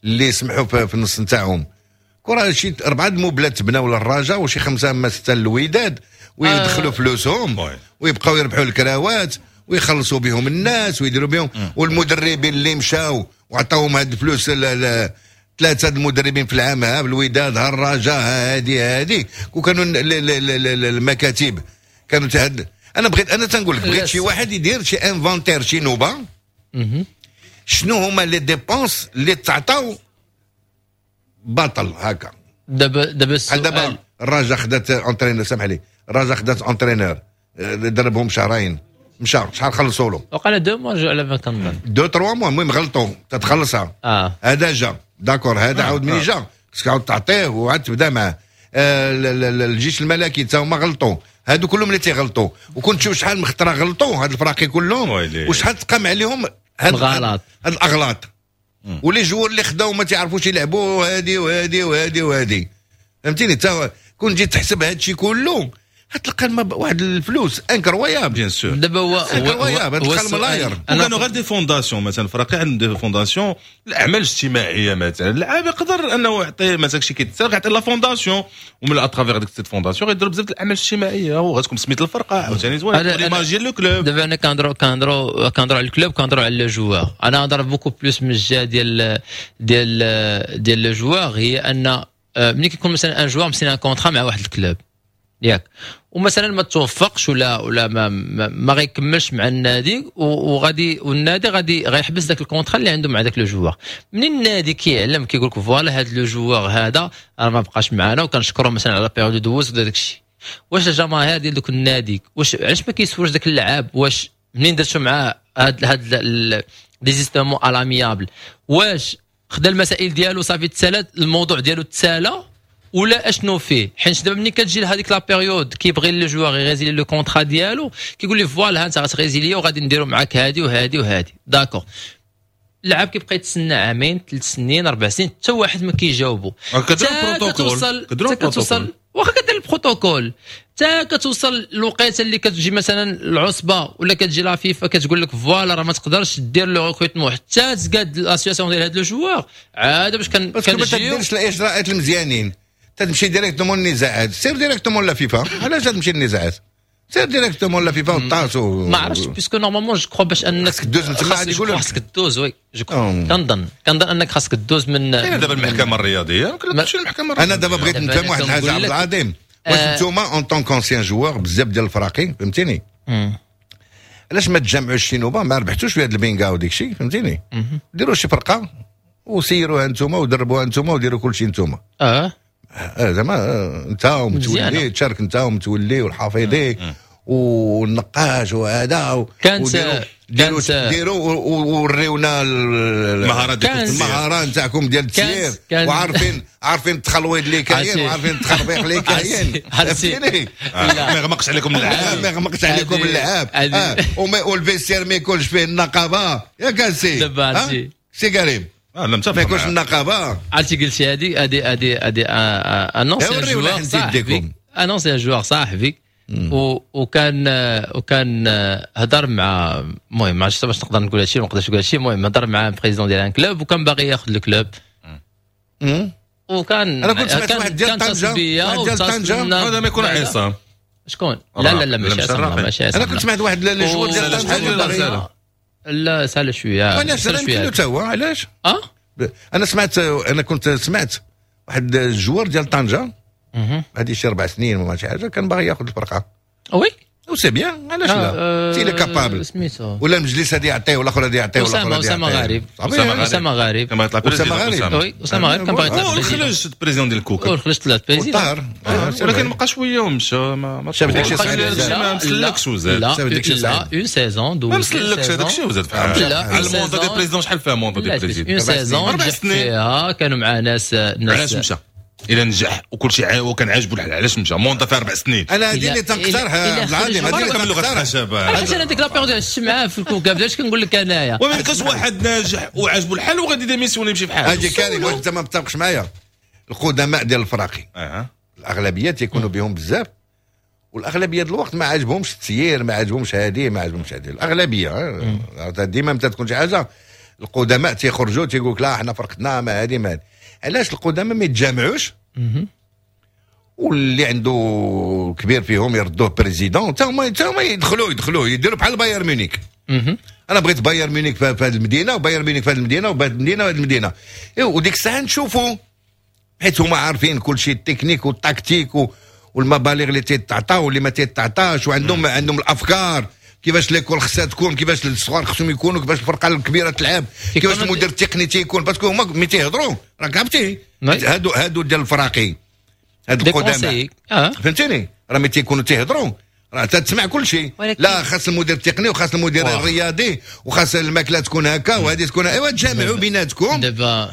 اللي سمحوا في النص نتاعهم كره شي اربعة موبلات تبناو للرجاء وشي خمسة اما ستة للوداد ويدخلوا فلوسهم ويبقاو يربحوا الكراوات ويخلصوا بهم الناس ويديروا بهم. والمدربين اللي مشاو وعطاوهم هاد الفلوس، ثلاثة المدربين في العام، ها الوداد ها الرجاء هادي هادي، وكانوا المكاتب كانوا تهد. انا بغيت انا تنقول لك بغيت شي واحد يدير شي inventaire شي نوبه شنو هما les dépenses اللي تعطاو باطل هكا. دابا دابا السؤال دابا الرجاء خدات entraîneur، سامح لي، الرجاء خدات entraîneur دربهم شهرين مشى، شحال خلصوا له؟ وقال deux mois على ما كنظن deux trois mois. المهم غلطوا تتخلصها. اه هذا جا d'accord، هذا عاود منين جا خصك عاود تعطيه وعاد تبدا معاه. آه الجيش الملكي تا هما غلطوا، هادو كلهم اللي تيغلطوا. وكنت تشوف شحال من خطره غلطوا هاد الفراقي كلهم وشحال تقام عليهم هاد الغلط، هاد الاغلاط. و les joueurs اللي خداو ما تعرفوش يلعبوا هادي وهادي وهادي وهادي، فهمتيني؟ تا كون جيت تحسب هادشي كله غتلقى واحد الفلوس incroyable. bien sûr دابا هو incroyable تلقى الملاير. وكانوا غير des fondations مثلا، فراقي عندهم des fondations الاعمال الاجتماعية مثلا، اللاعب يقدر انه يعطي مثلا شي كيتسرق يعطي la fondation، ومن à travers ديك cette fondation غيديروا بزاف الاعمال الاجتماعية وغتكون سميت الفرقة عاوتاني زوين l'image ديال le club. دابا انا كنهضروا كنهضروا كنهضروا على ال club، كنهضروا على le joueur. انا نهضر beaucoup plus من الجهة ديال ديال ديال le joueur، هي ان ملي كيكون مثلا un joueur مسينا un contrat مع واحد ال club ياك، ومثلا ما توفقش ولا ولا ما ما, ما غيكملش مع النادي، وغادي والنادي غادي غيحبس ذاك ال contrat اللي عنده مع ذاك le joueur. منين النادي كيعلم كيقول لك voilà هذا le joueur هذا راه ما بقاش معنا وكنشكرو مثلا على période دوز ولا داك الشيء، واش الجماهير ديال دوك النادي واش علاش ما كيسولش ذاك اللعاب واش منين درتو معاه هاد هاد désistement à l'amiable، واش خدا المسائل ديالو صافي تسالات الموضوع ديالو تسالى ولا اشنو فيه؟ حيت دابا ملي كتجي لهذيك la période كيبغي le joueur ي résilier le contrat ديالو كيقول لي voilà ها انت غت résilier وغادي نديرو معاك هادي وهادي وهادي d'accord. اللاعب كيبقى يتسنى عامين ثلاث سنين اربع سنين حتى واحد ما كيجاوبو. كدير البروتوكول، كدير كتوصل واخا كدير البروتوكول حتى كتوصل الوقيته اللي كتجي مثلا العصبة ولا كتجي la FIFA كتقول لك voilà راه ما تقدرش دير le recrutement حتى تقاد la situation ديال هاد le joueur. عاد باش كان كنجيو ما تديرش الاجراءات المزيانين تمشي directement للنزاعات، سير directement la FIFA. علاش تمشي للنزاعات؟ سير directement la FIFA وطاسو. ما عرفتش puisque normalement je crois باش انك خاصك دوز من تما غادي يقولوا خاصك دوز oui je كنظن كنظن انك خاصك دوز من كاين دابا المحكمة الرياضية يمكن تمشي للمحكمة الرياضية. انا دابا بغيت نفهم واحد الحاجة عبد العظيم، واش نتوما en tant qu'anciens joueurs بزاف ديال الفراقي فهمتيني، علاش ما تجمعوش شي نوبه ما ربحتوش في هذا البينغا وديك الشيء فهمتيني، ديروا شي فرقه وسيروها نتوما ودربوها نتوما وديروا كل شيء نتوما. اه زعما انت ومتولي تشارك انت ومتولي والحافظي والنقاش وهذا. كانت ديروا ديروا ووريونا المهارات المهارة نتاعكم ديال التسيير، وعارفين عارفين التخلويض اللي كاين وعارفين التخربيق اللي كاين. فهمتيني؟ ما يغمقش عليكم اللعاب، ما يغمقش عليكم اللعاب، وال vestiaire ما يكونش فيه النقابة. ياك سي دابا سي كريم؟ ما يكونش النقابة. عرفتي قلتي هذه هذه هذه هذه un ancien joueur صاحبي، un ancien joueur صاحبي، وكان وكان هضر مع، المهم ما عرفتش باش نقدر نقول هادشي ما نقدرش نقول هادشي، المهم هضر مع président ديال un club وكان باغي ياخذ ال club، وكان انا كنت سمعت واحد ديال طنجه، واحد ديال طنجه هذا ما يكون عصام. شكون؟ لا لا لا ماشي عصام، ماشي عصام. انا كنت سمعت واحد les joueurs ديال طنجه. لا سهلة شوية، علاش يمكن حتى هو علاش؟ اه انا سمعت، انا كنت سمعت واحد ال joueur ديال طنجه هذه شي اربع سنين ولا شي حاجة، كان باغي ياخذ الفرقة. oui و c'est bien، علاش لا؟ s'il est capable. ولا المجلس هذا يعطيه ولا الاخر هذا يعطيه ولا الاخر اسامة غريب، اسامة غريب، اسامة غريب، oui اسامة غريب كان باغي يطلع خرج président ديال الكوكب، خرج طلع président، ولكن بقى شوية ومشى، ما شاف داكشي صعيب، ما مسلكش وزاد، لا une saison دوز ما مسلكش هذاك الشيء وزاد على ال mandat ديال président. شحال فيها mandat ديال président؟ une saison اربع سنين كانوا مع ناس ناس. علاش مشى؟ الى نجح وكل شيء وكان عاجبو الحال، علاش مشى؟ mandat في اربع سنين. انا هذه اللي تنقترحها عبد العظيم، هذه اللي تنقترحها شباب. علاش انا ديك la période عشت معاه في الكوكب، علاش كنقول لك انايا وما يبقاش واحد ناجح وعاجبو الحال وغادي démissionner يمشي في حاله. هذه كريم، واش انت ما متفقش معايا؟ القدماء ديال الفراقي أه. الاغلبية تيكونوا بهم بزاف، والاغلبيه ديال الوقت ما عاجبهمش التسيير، ما عاجبهمش هذه، ما عاجبهمش هذه. الاغلبية ديما متى تكون شي حاجة القدماء تيخرجوا تيقول لك لا حنا فرقتنا ما هذه ما هذه. علاش القدماء ما يتجامعوش؟ واللي عنده كبير فيهم يردوه président، تا هما تا هما يدخلوا يدخلوا يديروا بحال بايرن ميونيك. انا بغيت بايرن ميونيك في هذه المدينة وبايرن ميونيك في هذه المدينة وبهذه المدينة وهذه المدينة، وديك الساعة نشوفوا، حيت هما عارفين كل شيء ال technique وال tactique والمبالغ اللي تيتعطى واللي ما تيتعطاش، وعندهم عندهم الافكار كيفاش l'école خصها تكون، كيفاش الصغار خصهم يكونوا، كيفاش الفرقة الكبيرة تلعب، كيفاش المدير التقني تيكون، parce que هما ملي تيهضروا راك عرفتي هادو هادو ديال الفراقي هاد القدامى آه. فهمتيني؟ راه ملي تيكونوا تيهضروا راه تسمع كل شيء. لا خاص المدير التقني وخاص المدير واو. الرياضي وخاص الماكلة تكون هكا وهذه تكون، ايوا تجامعوا بيناتكم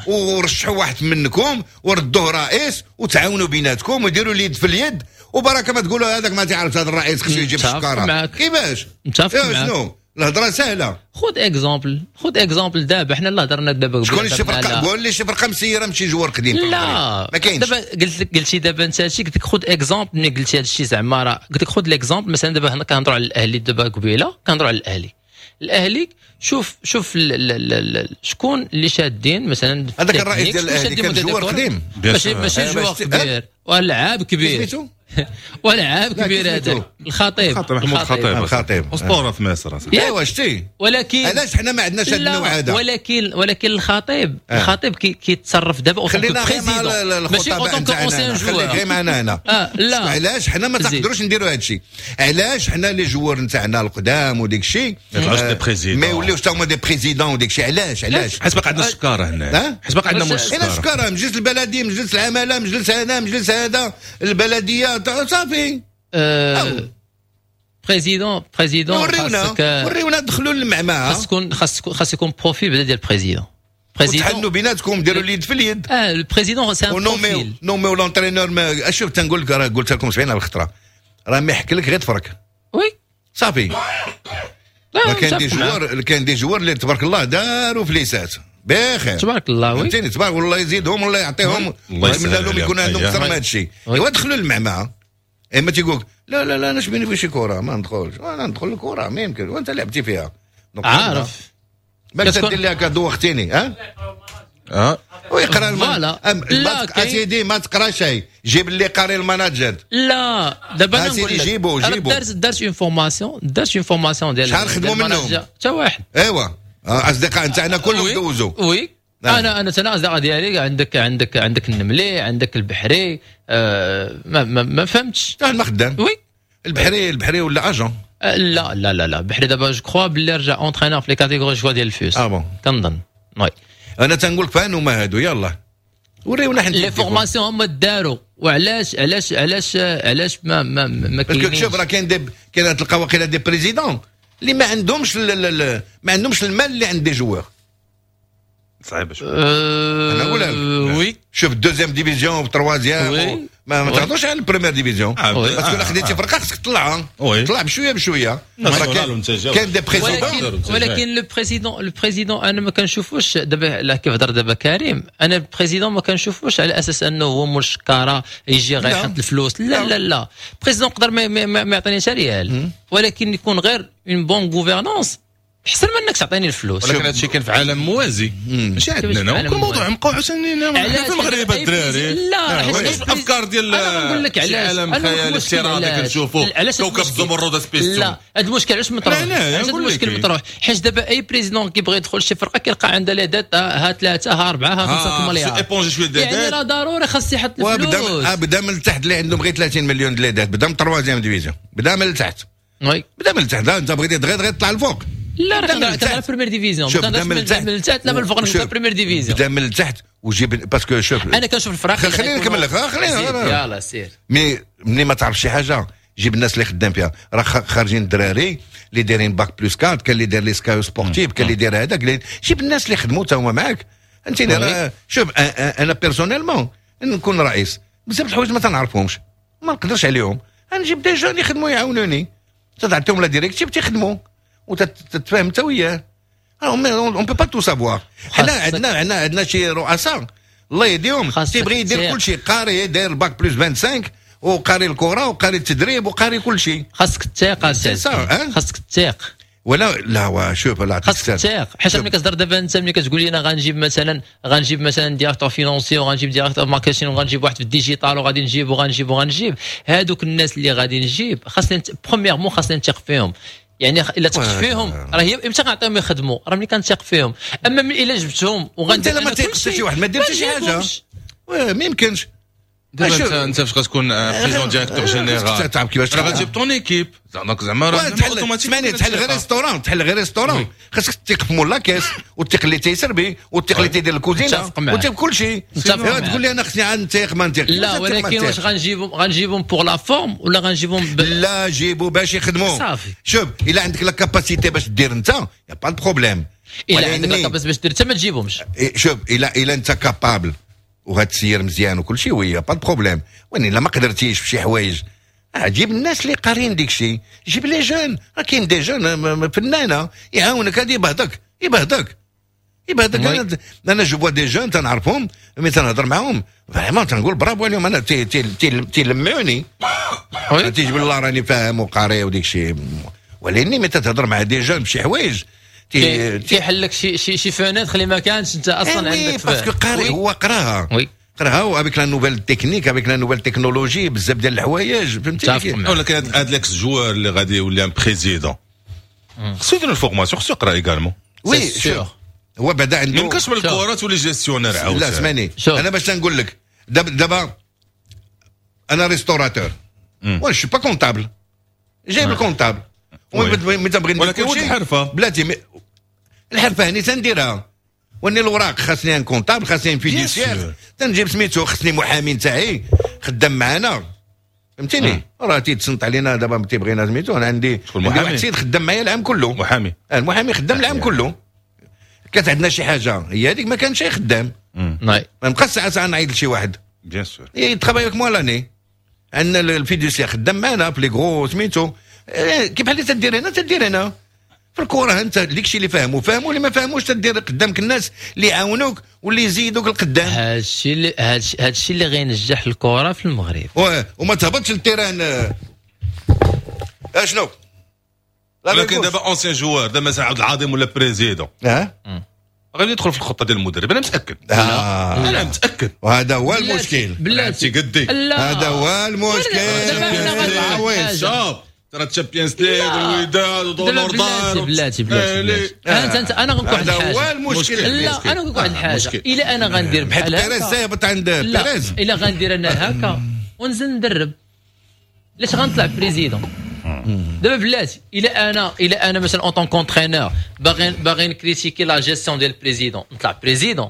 ورشحوا واحد منكم وردوه رئيس وتعاونوا بيناتكم وديروا اليد في اليد، وبركة ما تقولوا هذاك ما تعرفش هذا الرئيس خصو يجيب الشكاره. كيفاش؟ متفق معاك. شنو الهضرة سهلة. خذ exemple، خذ exemple دابا حنا اللي هضرنا دابا. شكون اللي شي فرقه؟ قول لي شي فرقه مسيره ماشي joueur قديم. لا ما كاينش. دابا قلت لك، قلتي دابا انت هادشي، قلت لك خذ exemple ملي قلتي هادشي زعما راه قلت لك خذ l'exemple مثلا دابا حنا كنهضروا على الاهلي دابا قبيلة كنهضروا على الاهلي. الاهلي شوف شوف ال ال شكون اللي شادين مثلا هذاك الرئيس ديال الاهلي كان joueur قديم، ماشي ماشي joueur كبير ولعاب كبير ولعاب كبير هذا الخطيب، محمود الخطيب، الخطيب اسطورة في مصر. ايوا شتي، ولكن علاش حنا ما عندناش هذا النوع هذا؟ ولكن ولكن الخطيب آه. الخطيب كيتصرف دابا خلينا غير مع الخطباء نتاعنا، خليك غير معنا هنا. آه لا علاش حنا ما تقدروش نديروا هذا الشيء؟ علاش حنا les joueurs نتاعنا القدام وديك الشيء ما يوليوش تا هما des présidents وديك الشيء؟ علاش علاش؟ حيت باقي عندنا الشكاره هنا، حيت باقي عندنا الشكاره، الشكاره مجلس البلدي، مجلس العمالة، مجلس هذا، مجلس هذا، البلدية، صافي. أه président président وريونا وريونا دخلوا للمعمعه. خاص يكون خاص خاص يكون profil بدا ديال président. président تحنوا بيناتكم، ديروا اليد في اليد. اه ال président c'est un profil. نوميو l'entraîneur. شوف تنقول لك راه قلت لكم سبعين الخطرة، راه ما يحكي لك غير تفرك. oui صافي. كاين des joueurs، كاين des joueurs اللي تبارك الله داروا فليسات بخير تبارك الله. oui فهمتيني؟ تبارك والله يزيدهم والله يعطيهم، الله يتمنى لهم يكون عندهم اكثر من هذا الشيء. ايوا دخلوا للمعمعه، اما تيقول لا لا لا انا شبيني في شي كره ما ندخلش، انا ندخل الكره ما يمكن، وانت لعبتي فيها عارف ما تدير لها كدوختيني. ها اه ويقرا الم... لا اسيدي ما تقرا شيء، جيب اللي قاري ال management. لا دابا انا نقول لك جيبو جيبو دارت دارت une formation، دارت une formation ديال شحال خدموا منهم؟ حتى واحد. ايوا اصدقاء نتاعنا كلهم دوزوا. oui انا انا انا اصدقاء ديالي عندك عندك عندك النملي، عندك البحري، آه ما, ما, ما فهمتش حتى ما خدام. oui البحري البحري ولا agent؟ آه لا لا لا لا البحري دابا je crois باللي رجع entraîneur في les catégories je crois ديال الفوس. اه bon كنظن. oui انا تنقول لك فان هما هادو. يلا وريونا حنا les formations هما داروا، وعلاش علاش علاش علاش ما ما ما كاينش؟ شوف راه كاين des كاين تلقى واقيلا des présidents اللي ما عندهمش ما عندهمش المال اللي عند des joueurs. صعيبة شوية. انا نقول لك oui، شوف deuxième division و troisième ما, ما تهضرش على ال première division، parce que خديتي فرقه خصك تطلعها، طلع بشوية بشوية. كاين كاين des présidents، ولكن le président le président انا ما كنشوفوش دابا لا كيف هضر دابا كريم، انا ال président ما كنشوفوش على اساس انه هو مول الشكاره يجي غيحط الفلوس. لا لا لا، président يقدر ما, ما, ما يعطينيش ريال، ولكن يكون غير une bonne gouvernance احسن من انك تعطيني الفلوس. ولكن هادشي كاين في عالم موازي ماشي عندنا، كل موضوع مبقاو عاوتاني في المغرب الدراري. لا حيت الافكار ديال انا نقول لك علاش عالم خيالي افتراضي كنشوفوا كوكب الزمرد سبيستون. لا هذا المشكل علاش مطروح؟ علاش المشكل مطروح؟ حيت دابا اي président كيبغي يدخل شي فرقه كيلقى عندها les dettes، ها ثلاثة ها اربعة ها خمسة مليار، éponger شوية dettes، يعني راه ضروري خاص يحط الفلوس. بدا من التحت اللي عندهم غير ثلاثين مليون les dettes، بدا من troisième division، بدا من التحت. oui بدا من التحت، انت بغيتي دغيا دغيا تطلع الفوق. لا راه كنهضر première division، بدا من التحت، من التحت لا من الفوق نبدا première division، بدا من التحت وجيب parce que شوف انا كنشوف الفرق. خليني نكمل لك، خليني يلاه سير. mais ملي ما تعرف شي حاجة جيب الناس اللي خدام فيها، راه خارجين الدراري اللي دايرين bac plus quatre، كان اللي داير l'ISCAE sportif، كان اللي داير هذاك، جيب الناس اللي خدموا تا هما معاك. انت شوف انا personnellement نكون رئيس بزاف الحوايج ما تنعرفهمش ما نقدرش عليهم، نجيب des jeunes يخدموا يعاونوني، تعطيهم la directive تيخدموا وتتفاهم انت وياه. on peut pas tout savoir. حنا عندنا عندنا عندنا شي رؤساء الله يهديهم تيبغي يدير كل شيء، قاري داير bac plus خمسة وعشرين وقاري الكره وقاري التدريب وقاري كل شيء. خاصك تثيق، خاصك تثيق. ولا لا شوف لا خاصك تثيق، حيت ملي كتهضر دابا انت ملي كتقول لي انا غنجيب مثلا غنجيب مثلا directeur financier وغنجيب directeur marketing وغنجيب واحد في ال digital وغادي نجيب وغنجيب وغنجيب، هادوك الناس اللي غادي نجيب خاصني premièrement خاصني نثيق فيهم. يعني الا ثقت فيهم راه هي امتى غنعطيهم يخدموا؟ راه ملي كنثيق فيهم. اما ملي الا جبتهم وغندير انت ما تيقش شي واحد ما دير حتى شي حاجة ما يمكنش. دابا انت انت فاش غتكون président directeur général تعرف كيفاش راه غتجيب ton équipe، donc زعما راه اوتوماتيك تحل غير restaurant، تحل غير restaurant خاصك تثيق في مول la caisse وتثيق اللي تيسربي وتثيق اللي تيدير الكوزينة وتثيق كل شيء. تقول لي انا خصني عاد نثيق ما نثيق. لا ولكن واش غنجيبهم غنجيبهم pour la forme ولا غنجيبهم لا جيبوا باش يخدموا صافي. شوف الا عندك la capacité باش دير انت y a pas de problème. الا عندك la capacité باش دير انت ما تجيبهمش. شوف الا الا انت capable وغتسير مزيان وكل شيء oui pas de problème، ولكن الا ما قدرتيش في شي حوايج جيب الناس اللي قارين ديك الشيء، جيب les jeunes، راه كاين des jeunes فنانة يعاونك، هذا يبهدك يبهدك يبهدك. انا انا je vois des jeunes تنعرفهم mais تنهضر معاهم vraiment تنقول برافو عليهم، انا تيلمعوني تيجيب الله راني فاهم وقاري وديك الشيء، ولكن ملي تتهضر مع des jeunes بشي حوايج تيحل لك شي شي شي fenêtre اللي ما كانش انت اصلا عندك، parce que قاري هو قراها oui قراها avec la nouvelle technique avec la nouvelle technologie بزاف ديال الحوايج فهمتي. ولكن هاد l'ex joueur اللي غادي يولي un président خصو يدير ال formation، خصو يقرا également. oui شوف هو بعدا عنده ما يمكنش من الكره تولي gestionnaire عاوتاني. لا اسمعني انا باش نقول لك دابا دابا انا restaurateur وانا je suis pas comptable، جايب ال comptable ملي تنبغي ندير ولكن كلشي الحرفة بلاتي الحرفة هني تنديرها، واني الوراق خاصني un comptable خاصني fiduciaire تنجيب سميتو خاصني محامي نتاعي خدام معانا فهمتيني، راه تيتصنت علينا دابا تيبغينا سميتو. انا عندي عندي واحد السيد خدام معايا العام كله محامي، المحامي خدام العام كله، كانت عندنا شي حاجة هي هذيك ما كانش خدام ما نبقاش ساعة ساعة نعيط لشي واحد bien sûr il travaille avec moi l'année. عندنا ال fiduciaire خدام معنا في les gros سميتو كيف بحال اللي تدير هنا تدير هنا في الكره، انت ديك الشيء اللي فاهمو فاهمو اللي ما فاهموش تدير قدامك الناس اللي يعاونوك واللي يزيدوك القدام. هادشي اللي هادشي اللي غينجح الكره في المغرب. وما تهبطش لل terrain اشنو ولكن دابا ancien joueur دابا مثلا عبد العظيم ولا président اه غادي يدخل في الخطة ديال المدرب، انا متاكد. آه. انا متاكد وهذا هو المشكل بلاتي قدي هذا هو المشكل. شوف ترى Champions League والوداد ودونور دار بلاتي بلاتي بلاتي انت انت انا غنقول واحد الحاجة هذا هو المشكل. لا انا نقول واحد الحاجة الا انا غندير بحال هكا بيريز هبط عند بيريز الا غندير انا هكا ونزل ندرب علاش غنطلع président دابا بلاتي الا انا الا انا مثلا en tant qu'entraîneur باغي باغي ن critiquer la gestion ديال ال président نطلع président،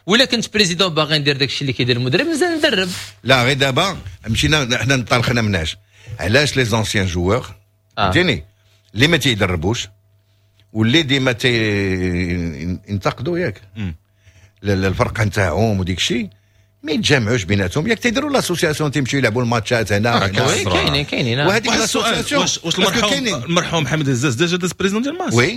ولا كنت président باغي ندير داكشي اللي كيدير المدرب، مزال ندرب. لا، غير دابا مشينا حنا انطلقنا مناش؟ علاش les anciens joueurs، فهمتيني، اللي ما تيدربوش واللي ديما تينتقدوا ياك الفرقة نتاعهم وديك الشيء، ما يتجمعوش بيناتهم؟ ياك تيديروا l'association، تيمشيو يلعبوا الماتشات هنا. كاينين كاينين. وهذيك l'association. واش واش المرحوم المرحوم حميد هزاز déjà داز président ديال ماس؟ oui،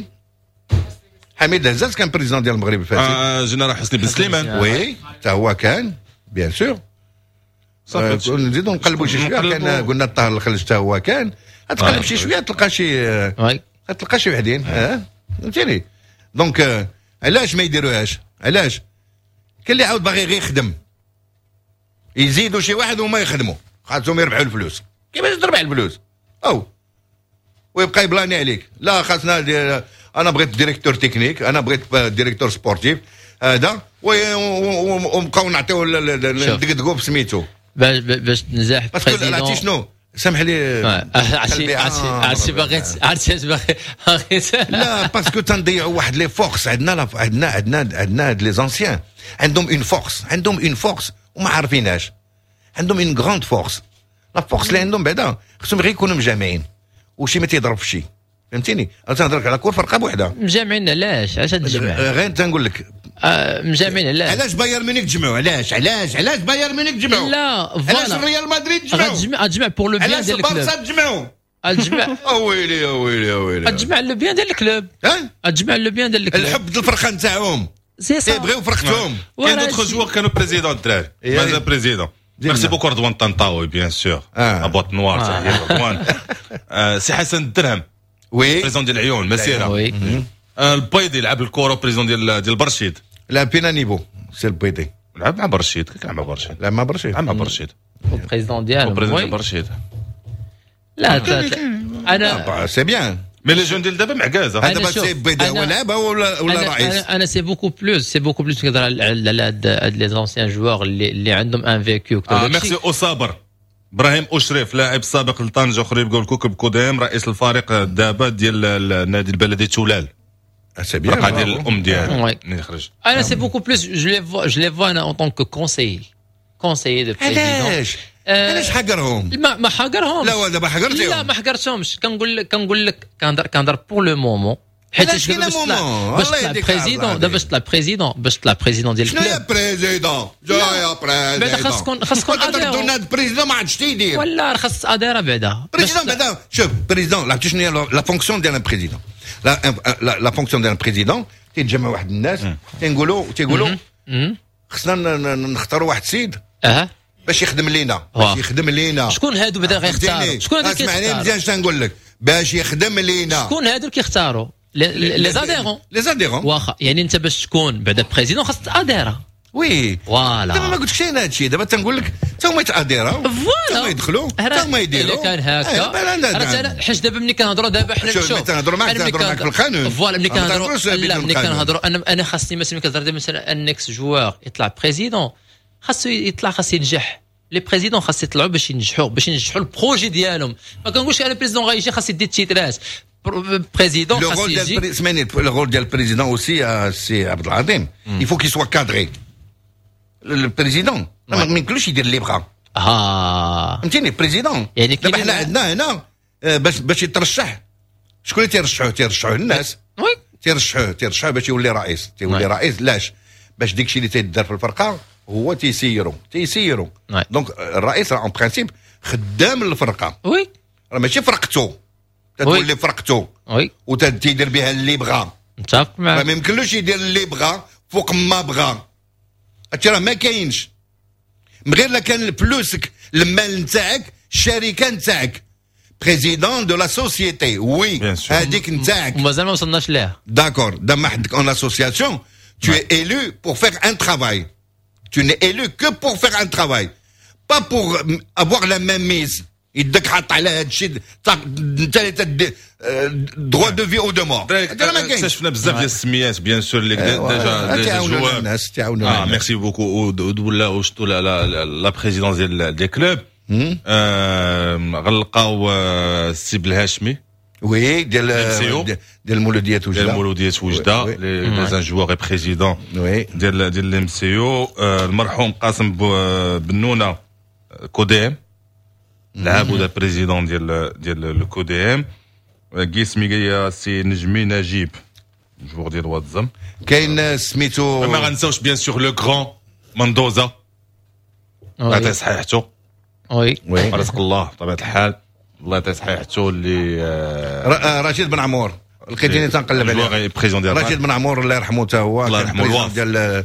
حميد هزاز كان président ديال المغرب الفاسي. آه جنرال حسني بن سليمان. oui، حتى هو كان bien sûr. صافي. نزيدو نقلبوا شي شويه، كان قلنا الطاهر الخلج حتى هو كان. تقلب شي شوية تلقى شي تلقى شي وحدين، اه فهمتيني؟ donc علاش ما يديروهاش؟ علاش كاين اللي عاود باغي غير يخدم، يزيدوا شي واحد وما يخدموا، خاصهم يربحوا الفلوس. كيفاش تربح الفلوس؟ او ويبقى يبلاني عليك: لا، خاصنا انا بغيت directeur technique، انا بغيت directeur sportif هذا، ونبقاو نعطيو ندقدقوا بسميتو. باش باش تنجح. parce que عرفتي شنو؟ سامح لي. عرفتي عرفتي باغي، عرفتي باغي. لا، parce que تنضيعوا واحد les forces عندنا عندنا عندنا عندنا هاد les anciens عندهم une force، عندهم une force وما عارفينهاش. عندهم une grande force. la force اللي عندهم بعدا خصهم غير يكونوا مجامعين وشي ما تيضرب في شي، فهمتيني؟ انا تنهضر على كل فرقه بوحدها. مجامعين علاش؟ علاش تجمع؟ غير تنقول لك. آه مجامعين علاش؟ علاش بايرن ميونخ تجمعوا؟ علاش علاش علاش بايرن ميونخ تجمعوا؟ لا. علاش الريال مدريد تجمعوا؟ غتجمع غتجمع pour le bien علاش ديال ال club. البارسا تجمعوا؟ غتجمع. اويلي اويلي اويلي. غتجمع le bien ديال ال club. ها. غتجمع le bien ديال ال club. الحب ديال الفرقة نتاعهم. c'est ça. تيبغيو فرقتهم. كاين d'autres joueurs كانوا présidents الدراري، مازال président. merci beaucoup رضوان طنطاوي، bien sûr boîte noire. تحية رضوان. سي حسن الدرهم oui président ديال العيون مسيره. oui. البيضي لعب الكره، président ديال ديال برشيد. لعب فينا niveau سي البيضي؟ لعب مع برشيد، كان مع برشيد. لعب مع برشيد. لعب مع برشيد. président ديالو. président ديال برشيد. لا، انا c'est bien. mais les jeunes ديال دابا معكازه. هذا سي البيضي هو لعب ولا ولا رئيس؟ انا c'est beaucoup plus c'est beaucoup plus كنهضر على هاد les anciens joueurs اللي اللي عندهم un vécu. ميرسي اوصابر ابراهيم اشرف، لاعب سابق لطنجه خريبكة والكوكب كوديم، رئيس الفريق دابا ديال النادي البلدي تولال. c'est bien. ديال الام ديالو اللي خرج. انا c'est beaucoup plus je les vois je les vois انا en tant que conseiller conseiller de président. علاش علاش حقرهم؟ ما ما حقرهم. لا، دابا حقرتيهم. لا، ما حقرتهمش. كنقول لك كنقول لك كنهضر كنهضر pour le moment. حيت باش طلع باش طلع président دابا، باش طلع président باش طلع président ديال شنو يا président؟ جا يا président. بعدا خاص تكون خاص تكون adhérent. président ما عادش تيدير. ولا خاص adhérent بعدا. président بعدا، شوف، président عرفتي شنو هي la fonction ديال un président؟ la la fonction ديال président، تيتجمع واحد الناس، تنقولوا تيقولوا خصنا نختاروا واحد السيد اها باش يخدم لينا، باش يخدم لينا. شكون هادو بعدا غيختاروا؟ شكون هادو؟ اسمعني مزيان شنو نقول لك، باش يخدم لينا. شكون هادو كيختاروا؟ les adhérents. les adhérents. واخا، يعني انت باش تكون بعدا président خاصك تاديرا. oui. voilà. دابا ما قلتلكش انا هادشي، دابا تنقول لك حتى هما يتاديراو. voilà. هما يدخلوا، حتى هما يديروا. الا كان هكا حيت دابا ملي كنهضروا دابا حنا شوف، تنهضروا معاك تنهضروا معاك في القانون. voilà، ملي كنهضروا، لا، ملي كنهضروا انا انا خاصني مثلا ملي كنهضر مثلا un ex-joueur يطلع président، خاصو يطلع، خاص ينجح. les présidents خاص يطلعوا باش ينجحوا باش ينجحوا ال projet ديالهم. ما كنقولش انا président غيجي خاص يدي التيترات. président خاص يجي، اسمعني، le rôle ديال ال président aussi، سي عبد العظيم، il faut qu'il soit cadré ال président، ما يمكنلوش يدير اللي بغا. اه فهمتيني؟ président يعني دابا حنا عندنا هنا باش باش يترشح، شكون اللي تيرشحوه؟ تيرشحوه الناس. oui. تيرشحوه تيرشحوه باش يولي رئيس. تيولي رئيس لاش؟ باش ديك الشيء اللي تيدار في الفرقة هو تيسيرو تيسيرو. donc الرئيس راه en principe خدام الفرقه. oui. راه ماشي فرقته، تتولي فرقته oui. وتيدير بها اللي بغا. متفق معك. ما يمكنلوش يدير اللي بغا فوق ما بغا. هادشي راه ما كاينش من غير لا كان فلوسك، المال نتاعك، الشركة نتاعك، président de la société، oui، هذيك نتاعك. ومازال ما وصلناش ليها. d'accord، دابا عندك une association، tu es élu pour faire un travail. Tu n'es élu que pour faire un travail, pas pour avoir la main mise. يدك حط على هذا الشيء، انت اللي droit de vie ou de mort. اكتشفنا بزاف ديال السميات، bien sûr، اللي déjà déjà joueurs. الناس تعاونوا. اه merci beaucoup. ولا وشتو la présidence ديال des clubs، غنلقاو السي بالهاشمي. oui ديال ديال المولوديه وجده، ديال المولوديه وجده، les un joueur président ديال ديال ال MCO. المرحوم قاسم بنونه CODM، لعب ولا président ديال ديال le CODM. كيس ميغيا سي نجمي نجيب joueur ديال واتزم. كاين سميتو ما غنساوش bien sûr le grand مندوزا، الله يعطيه صحيحته. oui oui رزق الله بطبيعة الحال، الله يعطيه صحيحته. اللي رشيد بن عمور لقيتيني تنقلب عليه، رشيد بن عمور الله يرحمه حتى هو، الله يرحمه، ديال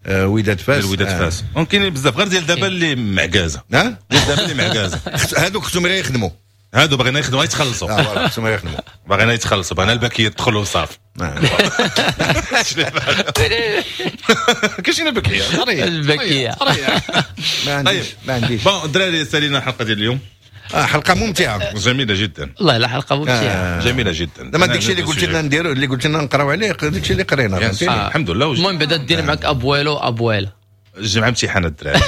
وداد فاس. وداد فاس. كاين بزاف غير ديال دابا اللي معكازه، ها ديال دابا اللي معكازه، هادوك خصهم غير يخدموا، هادو بغينا يخدموا يتخلصوا. اه voilà خصهم يخدموا، بغينا يتخلصوا، بغينا الباكيه تدخلوا وصافي. كاين الباكيه الباكيه ما عنديش ما عنديش. bon الدراري سالينا الحلقة ديال اليوم. آه حلقة ممتعة جميلة جدا والله، لا حلقة ممتعة آه. جميلة جدا. دابا داكشي اللي قلت لنا نديرو، اللي قلت لنا نقراو عليه، داكشي اللي قرينا آه. الحمد لله. المهم بعدا دير معاك abuelo abuela الجمعة امتحان الدراري.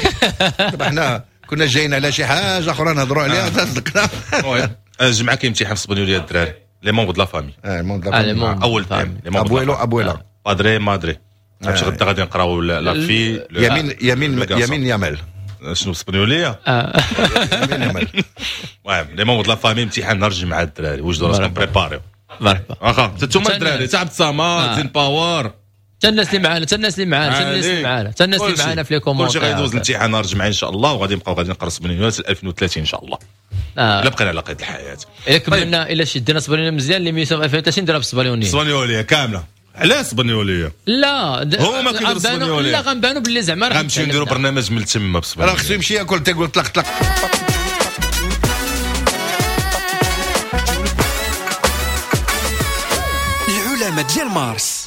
دابا حنا كنا جايين على شي حاجة اخرى نهضروا عليها تصدقنا. الجمعة كاين امتحان في الاسبانيوليه الدراري، les membres de la famille. اه membres de la famille اول thème abuelo abuela padre madre. عرفتي غدا غادي نقراو la fille يمين يمين يمين يامال شنو بالاسبانيوليه. يمين يامال. المهم les membres de la famille امتحان نهار الجمعة الدراري، وجدوا راسكم préparez. مرحبا واخا انتوما الدراري تاع عبد الصمد زين باور، حتى الناس اللي معانا، حتى الناس اللي معانا، حتى الناس اللي معانا، حتى الناس اللي معانا في les commentaires. كلشي غيدوز الامتحان نهار الجمعة ان شاء الله، وغادي نبقاو غادي نقرا اسبانيوليه ألفين وثلاثين ان شاء الله. الا بقينا على قيد الحياة. الا كملنا، الا شدينا اسبانيوليه مزيان l'émission ألفين وثلاثين نديرها بالاسبانيوليه. اسبانيوليه كاملة. علاش اسبانيوليه؟ لا هما كيديروا اسبانيوليه. لا غنبانوا باللي زعما غنمشيو نديروا برنامج من تما بالاسبانيوليه. راه خصو يمشي ياكل تيقول طلق طلق. العلماء ديال مارس.